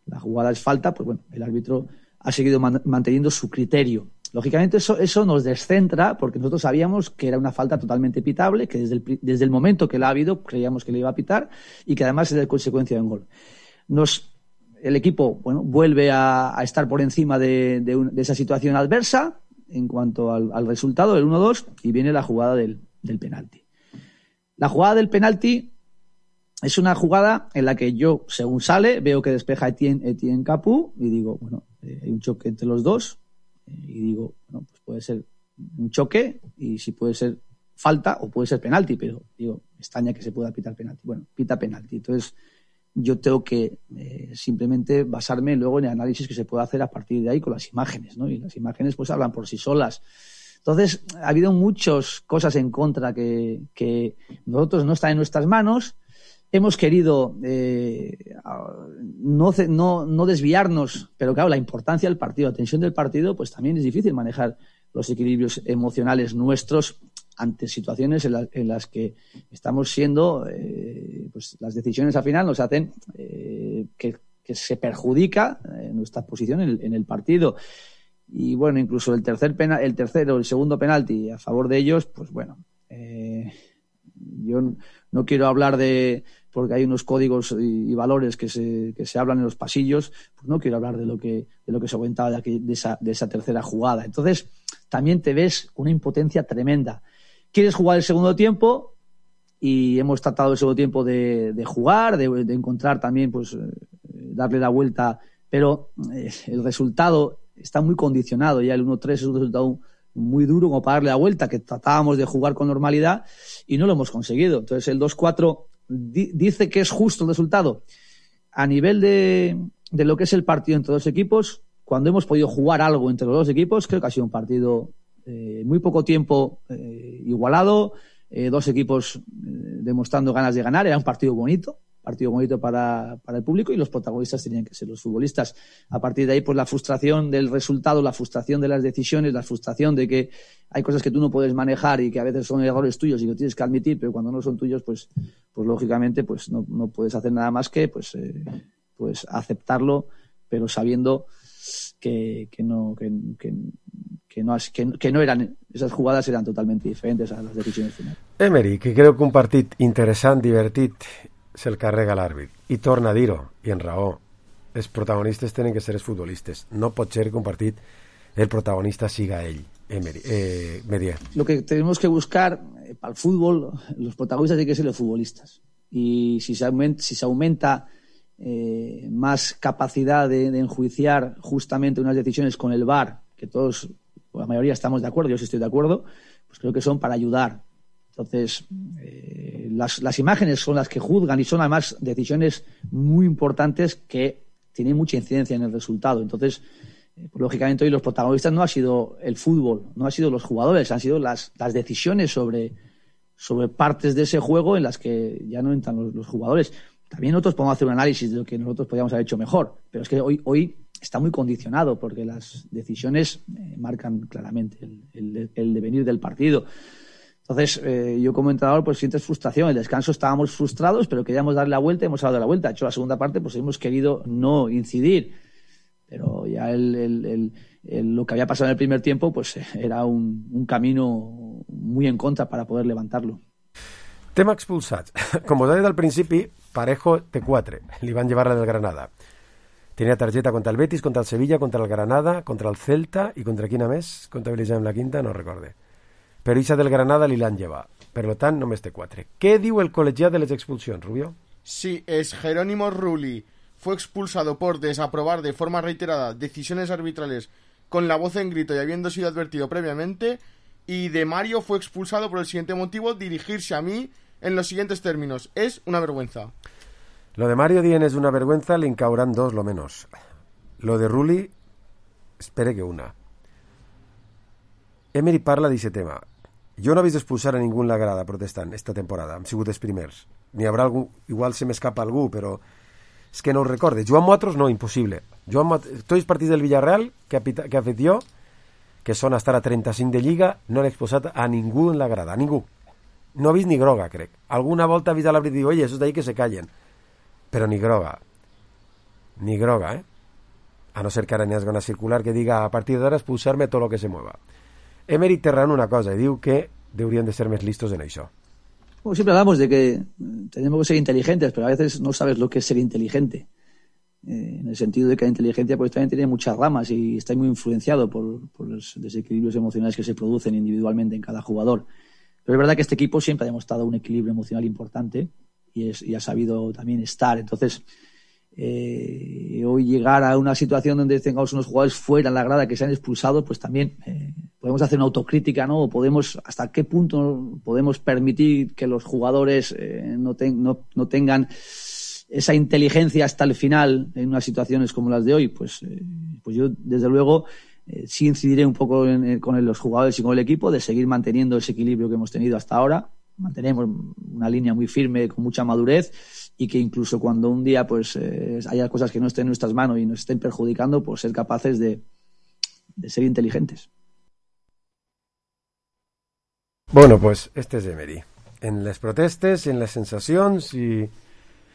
la jugada es falta, pues bueno, el árbitro ha seguido manteniendo su criterio. Lógicamente eso nos descentra porque nosotros sabíamos que era una falta totalmente pitable, que desde el momento que la ha habido creíamos que le iba a pitar y que además es de consecuencia de un gol. El equipo vuelve a estar por encima de esa situación adversa en cuanto al resultado del 1-2 y viene la jugada del penalti. La jugada del penalti es una jugada en la que yo, según sale, veo que despeja Etienne Capoue y digo, bueno, hay un choque entre los dos y digo, bueno, pues puede ser un choque y si puede ser falta o puede ser penalti, pero digo, me extraña que se pueda pitar penalti. Bueno, pita penalti. Entonces, yo tengo que simplemente basarme luego en el análisis que se puede hacer a partir de ahí con las imágenes, ¿no? Y las imágenes pues hablan por sí solas. Entonces, ha habido muchas cosas en contra que nosotros no están en nuestras manos. Hemos querido no desviarnos, pero claro, la importancia del partido, la tensión del partido, pues también es difícil manejar los equilibrios emocionales nuestros ante situaciones en las que estamos siendo, pues las decisiones al final nos hacen que se perjudica nuestra posición en el partido. Y bueno, incluso el segundo penalti a favor de ellos, pues bueno, yo no quiero hablar porque hay unos códigos y valores que se hablan en los pasillos, pues no quiero hablar de lo que se comentaba de esa tercera jugada. Entonces, también te ves una impotencia tremenda. Quieres jugar el segundo tiempo y hemos tratado el segundo tiempo de jugar, de encontrar también, pues, darle la vuelta, pero el resultado está muy condicionado. Ya el 1-3 es un resultado muy duro como para darle la vuelta, que tratábamos de jugar con normalidad y no lo hemos conseguido. Entonces el 2-4 dice que es justo el resultado. A nivel de lo que es el partido entre dos equipos, cuando hemos podido jugar algo entre los dos equipos, creo que ha sido un partido muy poco tiempo igualado, dos equipos demostrando ganas de ganar. Era un partido bonito para el público y los protagonistas tenían que ser los futbolistas. A partir de ahí, pues la frustración del resultado, la frustración de las decisiones, la frustración de que hay cosas que tú no puedes manejar y que a veces son errores tuyos y lo tienes que admitir, pero cuando no son tuyos, pues lógicamente pues no puedes hacer nada más que pues aceptarlo, pero sabiendo que no eran, esas jugadas eran totalmente diferentes a las decisiones finales. Emery, que creo que un partit interessant, divertit, se'l carrega l'àrbit. I torna a dir-ho, i en raó. Els protagonistes tenen que ser els futbolistes. No pot ser que un partit el protagonista siga ell, Merier. Lo que tenemos que buscar para el fútbol, los protagonistas tienen que ser los futbolistas. Y si se aumenta más capacidad de enjuiciar justamente unas decisiones con el VAR, que todos, la mayoría estamos de acuerdo, yo sí estoy de acuerdo, pues creo que son para ayudar. Entonces, las imágenes son las que juzgan y son además decisiones muy importantes que tienen mucha incidencia en el resultado. Entonces, pues, lógicamente hoy los protagonistas no ha sido el fútbol, no ha sido los jugadores, han sido las decisiones sobre partes de ese juego en las que ya no entran los jugadores. También nosotros podemos hacer un análisis de lo que nosotros podríamos haber hecho mejor, pero es que hoy está muy condicionado porque las decisiones marcan claramente el devenir del partido. Entonces, yo como entrenador pues sientes frustración. El descanso estábamos frustrados, pero queríamos darle la vuelta y hemos dado la vuelta. De hecho, la segunda parte pues hemos querido no incidir, pero ya lo que había pasado en el primer tiempo pues era un camino muy en contra para poder levantarlo. Tema expulsats. Com us he dit al principi, Parejo té 4. Li van llevar la del Granada. Tenia targeta contra el Betis, contra el Sevilla, contra el Granada, contra el Celta i contra quina més? Comptabilitzem la quinta, no recorde. Però ixa del Granada li l'han llevat. Per tant, només té 4. Què diu el col·legiat de les expulsions, Rubio? Sí, es Jerónimo Rulli. Fue expulsado por desaprobar de forma reiterada decisiones arbitrales con la voz en grito y habiendo sido advertido previamente. Y de Mario fue expulsado por el siguiente motivo: dirigirse a mí en los siguientes términos. Es una vergüenza. Lo de Mario dient és una vergüenza, li encauran 2 lo menos. Lo de Rulli, espere que una. Emery parla d'aquest tema. Jo no he vist expulsar a ningú en la grada protestant esta temporada. Hem sigut els primers. N'hi haurà algú, igual se m'escapa algú, però és que no ho recorde. Joan Motros, no, impossible. Tots els partits del Villarreal que ha fet jo, que són a estar a 35 de Lliga, no han expulsat a ningú en la grada, a ningú. No ha vist ni groga, crec. Alguna volta ha vist a l'àrbit i diu, oye, esos d'ahí que se callen. Però ni groga. Ni groga, A no ser que ara n'hi hagi una circular que diga a partir d'ara expulsar-me tot lo que se mueva. Emery té raó en una cosa, i diu que deurien de ser més listos en això. Bueno, siempre hablamos de que tenemos que ser inteligentes, pero a veces no sabes lo que es ser inteligente. En el sentido de que la inteligencia pues también tiene muchas ramas y está muy influenciado por los desequilibrios emocionales que se producen individualmente en cada jugador. Pero es verdad que este equipo siempre ha demostrado un equilibrio emocional importante y ha sabido también estar. Entonces, hoy llegar a una situación donde tengamos unos jugadores fuera en la grada que se han expulsado, pues también podemos hacer una autocrítica, ¿no? O podemos, hasta qué punto podemos permitir que los jugadores no tengan esa inteligencia hasta el final en unas situaciones como las de hoy. Pues yo, desde luego, sí incidiré un poco con los jugadores y con el equipo de seguir manteniendo ese equilibrio que hemos tenido hasta ahora. Mantenemos una línea muy firme, con mucha madurez, y que incluso cuando un día pues haya cosas que no estén en nuestras manos y nos estén perjudicando, pues ser capaces de ser inteligentes. Bueno, pues este és Emery. En les protestes, en les sensacions i...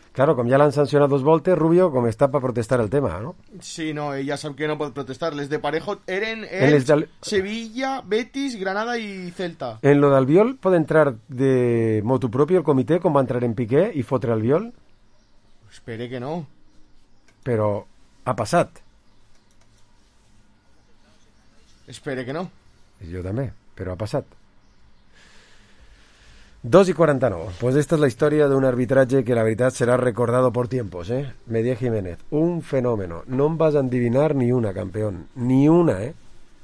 Claro, com ja l'han sancionat 2 voltes, Rubio, com està per protestar el tema, ¿no? Sí, no, ella sap que no pot protestar. Les de Parejo eren Sevilla, Betis, Granada y Celta. En lo d'Albiol pot entrar de motu propio el comitè, com va entrar en Piqué i fotre Albiol? Espere que no. Però ha passat. Espere que no. Jo també, però ha passat. 2:49. Pues esta es la historia de un arbitraje que la verdad será recordado por tiempos, ¿eh? Medier Jiménez, un fenómeno. No vas a adivinar ni una, campeón. Ni una, ¿eh?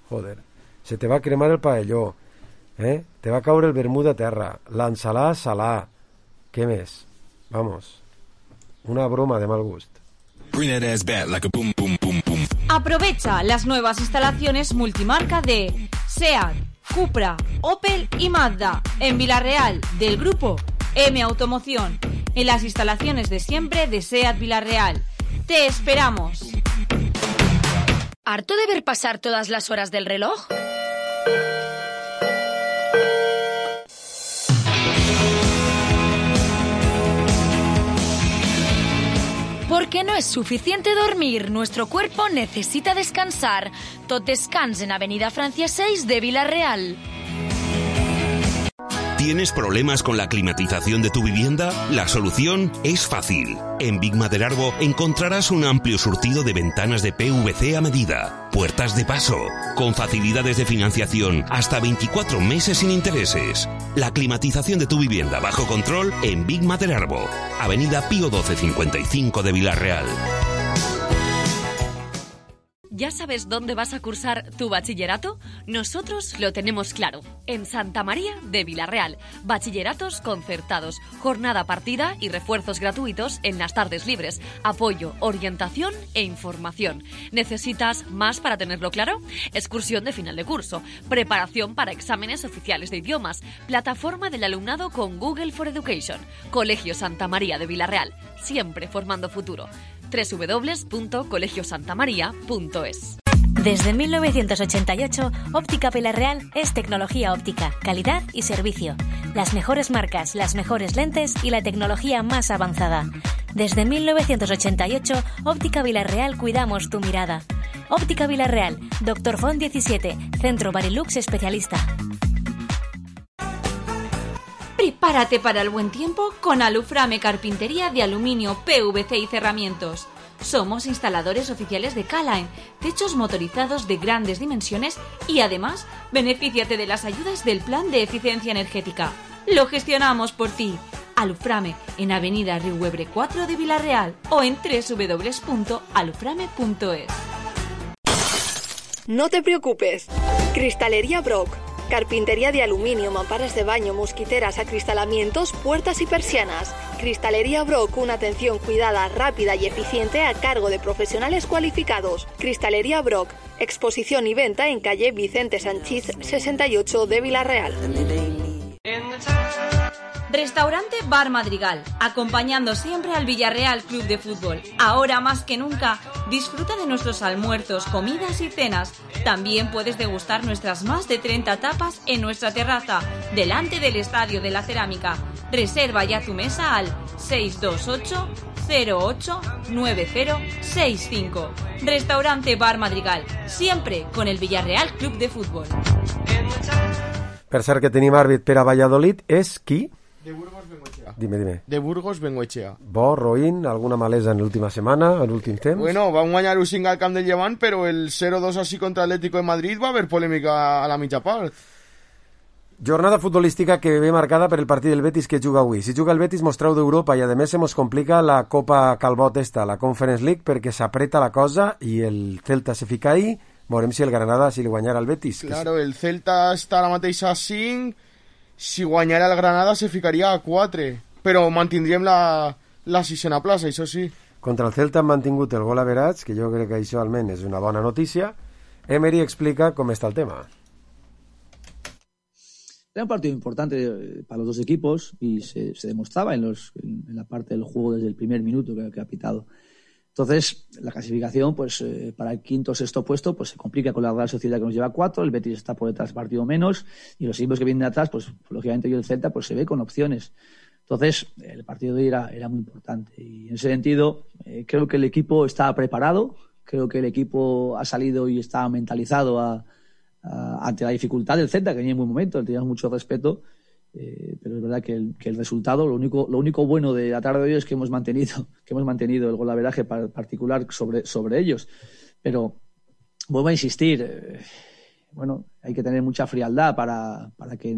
Joder. Se te va a cremar el paelló, ¿eh? Te va a caure el vermut a terra. L'ensalada salà. Què més? Vamos. Una broma de mal gust. Aprovecha las nuevas instalaciones multimarca de SEAT, Cupra, Opel y Mazda en Villarreal, del grupo M Automoción, en las instalaciones de siempre de SEAT Villarreal. ¡Te esperamos! ¿Harto de ver pasar todas las horas del reloj? Porque no es suficiente dormir, nuestro cuerpo necesita descansar. Tot Descans en Avenida Francia 6 de Villarreal. ¿Tienes problemas con la climatización de tu vivienda? La solución es fácil. En Big Maderarbo encontrarás un amplio surtido de ventanas de PVC a medida, puertas de paso, con facilidades de financiación hasta 24 meses sin intereses. La climatización de tu vivienda bajo control en Big Maderarbo, Avenida Pío 1255 de Villarreal. ¿Ya sabes dónde vas a cursar tu bachillerato? Nosotros lo tenemos claro. En Santa María de Villarreal. Bachilleratos concertados, jornada partida y refuerzos gratuitos en las tardes libres. Apoyo, orientación e información. ¿Necesitas más para tenerlo claro? Excursión de final de curso, preparación para exámenes oficiales de idiomas, plataforma del alumnado con Google for Education. Colegio Santa María de Villarreal, siempre formando futuro. www.colegiosantamaria.es. Desde 1988, Óptica Villarreal es tecnología óptica, calidad y servicio. Las mejores marcas, las mejores lentes y la tecnología más avanzada. Desde 1988, Óptica Villarreal cuidamos tu mirada. Óptica Villarreal, Dr. Font 17, Centro Barilux especialista. Prepárate para el buen tiempo con Aluframe Carpintería de Aluminio, PVC y Cerramientos. Somos instaladores oficiales de K-Line, techos motorizados de grandes dimensiones y además benefíciate de las ayudas del Plan de Eficiencia Energética. Lo gestionamos por ti. Aluframe en Avenida Riuebre 4 de Villarreal o en www.aluframe.es. No te preocupes. Cristalería Brock. Carpintería de aluminio, mamparas de baño, mosquiteras, acristalamientos, puertas y persianas. Cristalería Brock, una atención cuidada, rápida y eficiente a cargo de profesionales cualificados. Cristalería Brock, exposición y venta en calle Vicente Sanchís 68 de Villarreal. Restaurante Bar Madrigal, acompañando siempre al Villarreal Club de Fútbol. Ahora más que nunca, disfruta de nuestros almuerzos, comidas y cenas. También puedes degustar nuestras más de 30 tapas en nuestra terraza, delante del Estadio de la Cerámica. Reserva ya tu mesa al 628 08 9065. Restaurante Bar Madrigal, siempre con el Villarreal Club de Fútbol. Per cert que tenim àrbit per a Valladolid és qui? De Burgos Bengoechea. Dime. De Burgos Bengoechea. Bo, roïn, alguna malesa en l'última setmana, en l'últim temps? Bueno, van guanyar un 5 al camp del Llevant, però el 0-2 així contra Atlético de Madrid va haver polèmica a la mitja part. Jornada futbolística que ve marcada per el partit del Betis que juga avui. Si juga el Betis mos treu d'Europa i a més se mos complica la Copa Calbot la Conference League, perquè s'apreta la cosa i el Celta se fica ahí. Veurem si el Granada si li guanyarà el Betis. Claro, el Celta està ara mateix a 5, si guanyara el Granada se ficaria a 4, però mantindríem la sisena plaça, això sí. Contra el Celta han mantingut el gol average, que jo crec que això almenys és una bona notícia. Emery explica com està el tema. Era un partido importante para los dos equipos y se demostraba en la parte del juego desde el primer minuto que ha pitado. Entonces, la clasificación, pues para el quinto o sexto puesto, pues se complica con la Real Sociedad que nos lleva 4, el Betis está por detrás partido menos y los equipos que vienen de atrás, pues lógicamente yo el Celta pues se ve con opciones. Entonces, el partido de hoy era muy importante y en ese sentido creo que el equipo está preparado, creo que el equipo ha salido y está mentalizado ante la dificultad del Celta, que venía en buen momento, le teníamos mucho respeto, pero es verdad que el resultado, lo único bueno de la tarde de hoy es que hemos mantenido el golaveraje particular sobre ellos. Pero vuelvo a insistir, hay que tener mucha frialdad para que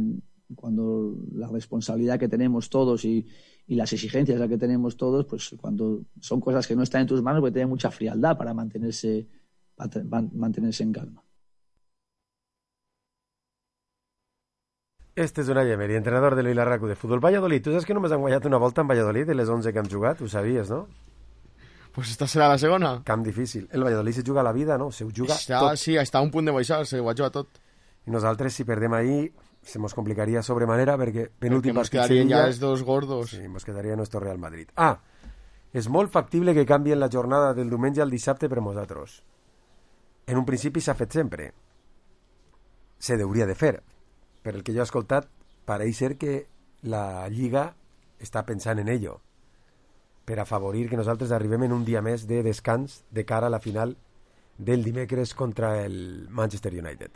cuando la responsabilidad que tenemos todos y las exigencias que tenemos todos, pues cuando son cosas que no están en tus manos, hay que tener mucha frialdad para mantenerse en calma. Este és Unai Emery, entrenador del Vilarracu de Futbol Valladolid. Tu saps que només han guanyat una volta en Valladolid de les 11 que hem jugat? Ho sabies, no? Pues esta serà la segona. Camp difícil. El Valladolid se juga la vida, no? Se ho juga tot. Sí, està a un punt de baixar, se ho ha jugat tot. I nosaltres, si perdem ahir, se mos complicaria sobremanera perquè penúltim partit quedarien ja els dos gordos. Sí, mos quedaria nuestro Real Madrid. És molt factible que canvien la jornada del diumenge al dissabte per nosaltres. En un principi s'ha fet sempre. Se hauria de fer. Per el que jo he escoltat, pareix ser que la Lliga està pensant en ello, per afavorir que nosaltres arribem en un dia més de descans de cara a la final del dimecres contra el Manchester United.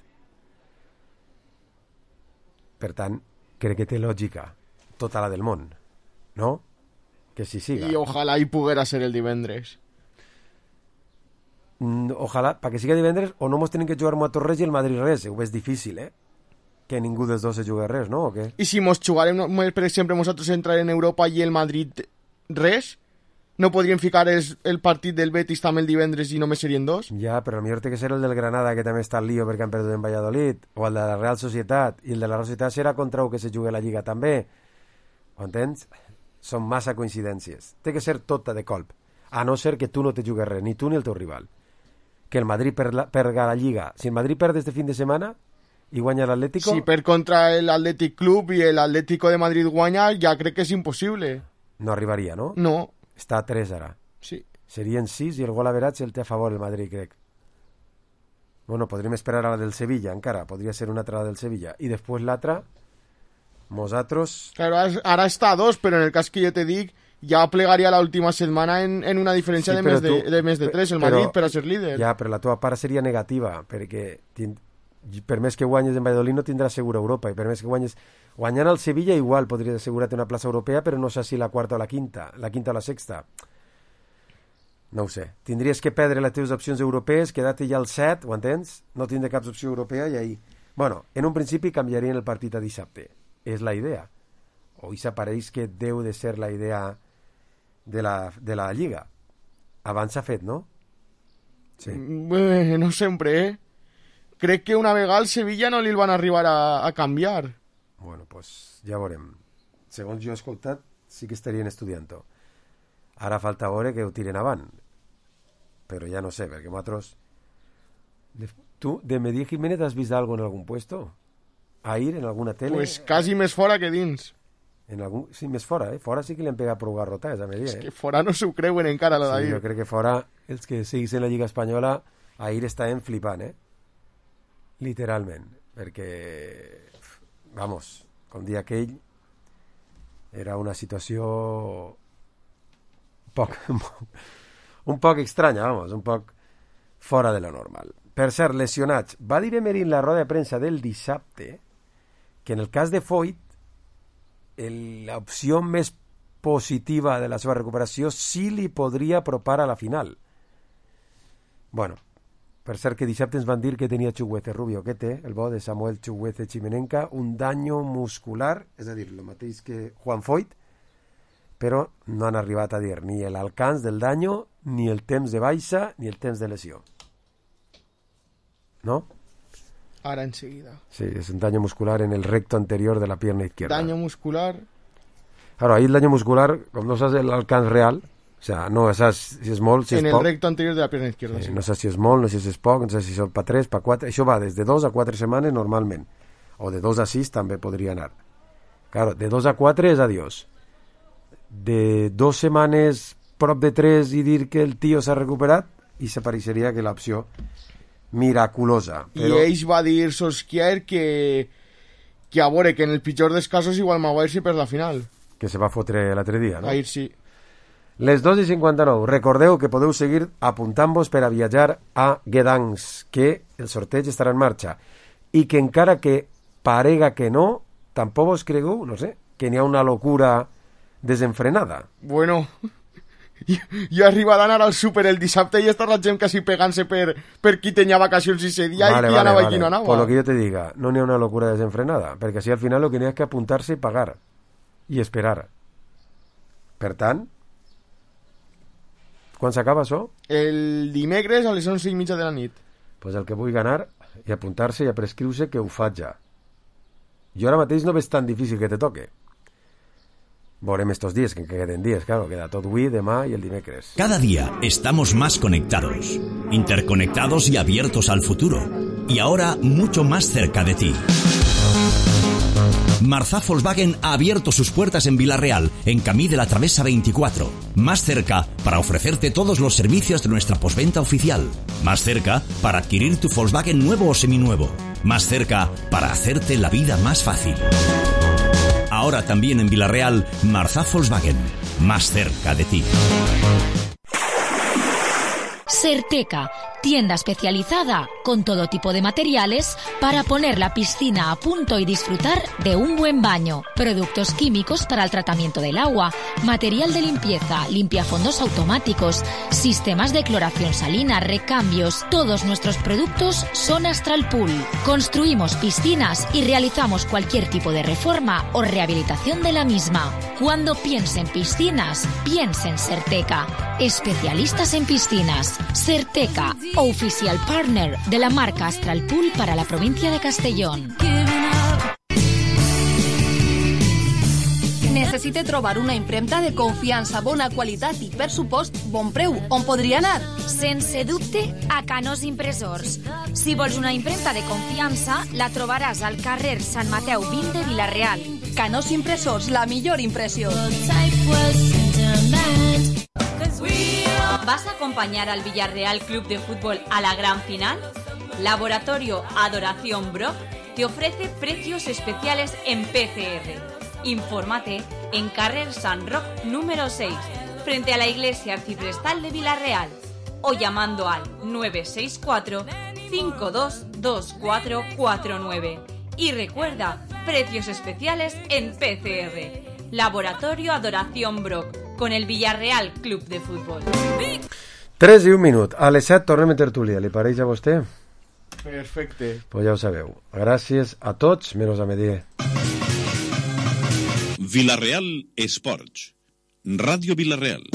Per tant, crec que té lògica tota la del món, no? Que si siga. I ojalà hi poguera ser el divendres. Ojalà, perquè siga divendres o no mos tenen que jugar nosaltres res i el Madrid res. Ho és difícil, que ningú dels dos se juga res, no? O què? I si mos jugarem, per exemple, nosaltres entrar en Europa i el Madrid res, no podríem ficar el partit del Betis també el divendres i només serien dos? Ja, però potser té que ser el del Granada, que també està al lío perquè han perdut en Valladolid, o el de la Real Societat, i el de la Real Societat serà contra el que se jugui la Lliga també. Ho entens? Són massa coincidències. Té que ser tota de colp, a no ser que tu no te jugues res, ni tu ni el teu rival. Que el Madrid perga la Lliga. Si el Madrid perd este fin de setmana i guanya l'Atlético... Si per contra l'Atlètic Club i l'Atlético de Madrid guanya, ja crec que és impossible. No arribaria, no? No. Està a 3 ara. Sí. Serien 6 i el gol average el té a favor el Madrid, crec. Bueno, podríem esperar a la del Sevilla, encara. Podria ser una altra del Sevilla. I després l'altra, nosaltres... Claro, ara està a 2, però en el cas que jo te dic, ja plegaria l'última setmana en una diferència de més de 3, el Madrid, per a ser líder. Ja, però la teva part seria negativa, perquè... per més que guanyes en Valladolid no tindràs segura Europa, i per més que guanyant el Sevilla igual podries assegurar-te una plaça europea, però no sé si la quarta o la quinta o la sexta, no ho sé. Tindries que perdre les teves opcions europees, quedar-te ja al 7, ho entens? No tindre cap opció europea i ahí... Bueno, en un principi canviarien el partit a dissabte, és la idea, o això pareix que deu de ser la idea de la Lliga. Abans s'ha fet, no? Sí. No sempre, Crec que una vegada al Sevilla no li van arribar a canviar. Bueno, pues ja veurem. Segons jo he escoltat, sí que estarien estudiant-ho. Ara falta veure que ho tiren avant. Però ja no sé, perquè nosaltres... Tu, de Medí Jiménez, has vist algo en algun puesto? Ahir, en alguna tele? Pues quasi més fora que dins. Sí, més fora, Fora sí que li han pegat prou garrotades a Medí, És que fora no s'ho creuen encara, lo d'ahir. Sí, jo crec que fora, els que seguissin la Lliga Espanyola, ahir estaven flipant, literalment, perquè, vamos, com dia aquell, era una situació un poc estranya, vamos, un poc fora de lo normal. Per cert, lesionats. Va dir Emery en la roda de premsa del dissabte que en el cas de Foyt l'opció més positiva de la seva recuperació sí li podria apropar a la final. Bueno, Per cert, que dissabte ens van dir que tenia Chukwueze Rubio, que té, el bo de Samuel Chukwueze Chimenenka, un daño muscular, és a dir, el mateix que Juan Foyt, però no han arribat a dir ni l'alcance del daño, ni el temps de baixa, ni el temps de lesió. ¿No? Ahora enseguida. Sí, es un daño muscular en el recto anterior de la pierna izquierda. Daño muscular. Claro, ahí el daño muscular, com no saps l'alcance real, o sea, no saps si és molt, si és poc. En el recto anterior de la pierna izquierda, sí. No saps si és molt, no saps si és poc, no saps si són pa 3, pa 4... Això va des de 2 a 4 setmanes normalment. O de 2 a 6 també podria anar. Claro, de 2 a 4 és adiós. De 2 setmanes prop de 3 i dir que el tio s'ha recuperat, i s'apareixeria que l'opció miraculosa. Però... I ells va dir Solskjaer que a veure, que en el pitjor dels casos igual Maguire si perd la final. Que se va fotre l'altre dia, no? Ahir sí. Les 2:59. Recordeu que podeu seguir apuntant-vos per a viatjar a Gdansk, que el sorteig estarà en marxa. I que encara que parega que no, tampoc vos cregueu, no sé, que n'hi ha una locura desenfrenada. Bueno, jo he arribat a anar al súper el dissabte i està la gent quasi pegant-se per qui tenia vacacions i dia i qui anava i qui no anava. Por lo que jo te diga, no n'hi ha una locura desenfrenada, perquè així al final lo que n'hi ha que apuntar-se i pagar i esperar. Per tant, quan s'acaba això? El dimecres a les 11:30 de la nit. Pues el que vulgui anar i apuntar-se i a prescriure que ho faig ja. Jo ara mateix no veig tan difícil que te toque. Veurem estos días, que queden días, claro, queda tot avui, demà y el dimecres. Cada día estamos más conectados, interconectados y abiertos al futuro. Y ahora mucho más cerca de ti. Marzá Volkswagen ha abierto sus puertas en Vila-real, en Camí de la Travesa 24. Más cerca para ofrecerte todos los servicios de nuestra postventa oficial. Más cerca para adquirir tu Volkswagen nuevo o seminuevo. Más cerca para hacerte la vida más fácil. Ahora también en Vila-real, Marzá Volkswagen. Más cerca de ti. Certeca, tienda especializada con todo tipo de materiales para poner la piscina a punto y disfrutar de un buen baño. Productos químicos para el tratamiento del agua, material de limpieza, limpiafondos automáticos, sistemas de cloración salina, recambios. Todos nuestros productos son Astral Pool. Construimos piscinas y realizamos cualquier tipo de reforma o rehabilitación de la misma. Cuando piense en piscinas, piense en Certeca. Especialistas en piscinas. Certeca, oficial partner de la marca Astral Pool para la provincia de Castellón. Necessite trobar una impremta de confiança, bona qualitat i, per supost, bon preu. On podria anar? Sense dubte, a Canós Impressors. Si vols una impremta de confiança, la trobaràs al carrer Sant Mateu 20 de Vila-real. Canós Impressors, la millor impressió. ¿Vas a acompañar al Villarreal Club de Fútbol a la gran final? Laboratorio Adoración Brock te ofrece precios especiales en PCR. Infórmate en carrer San Roc número 6, frente a la Iglesia Arciprestal de Vila-real, o llamando al 964 522449. Y recuerda, precios especiales en PCR. Laboratorio Adoración Brock, con el Villarreal Club de Fútbol. 3 i 1 minut. A les 7 tornem a tertúlia. Li pareix a vostè? Perfecte. Pues ja ho sabeu. Gràcies a tots, menys a Medier. Vila-real Esports. Ràdio Vila-real.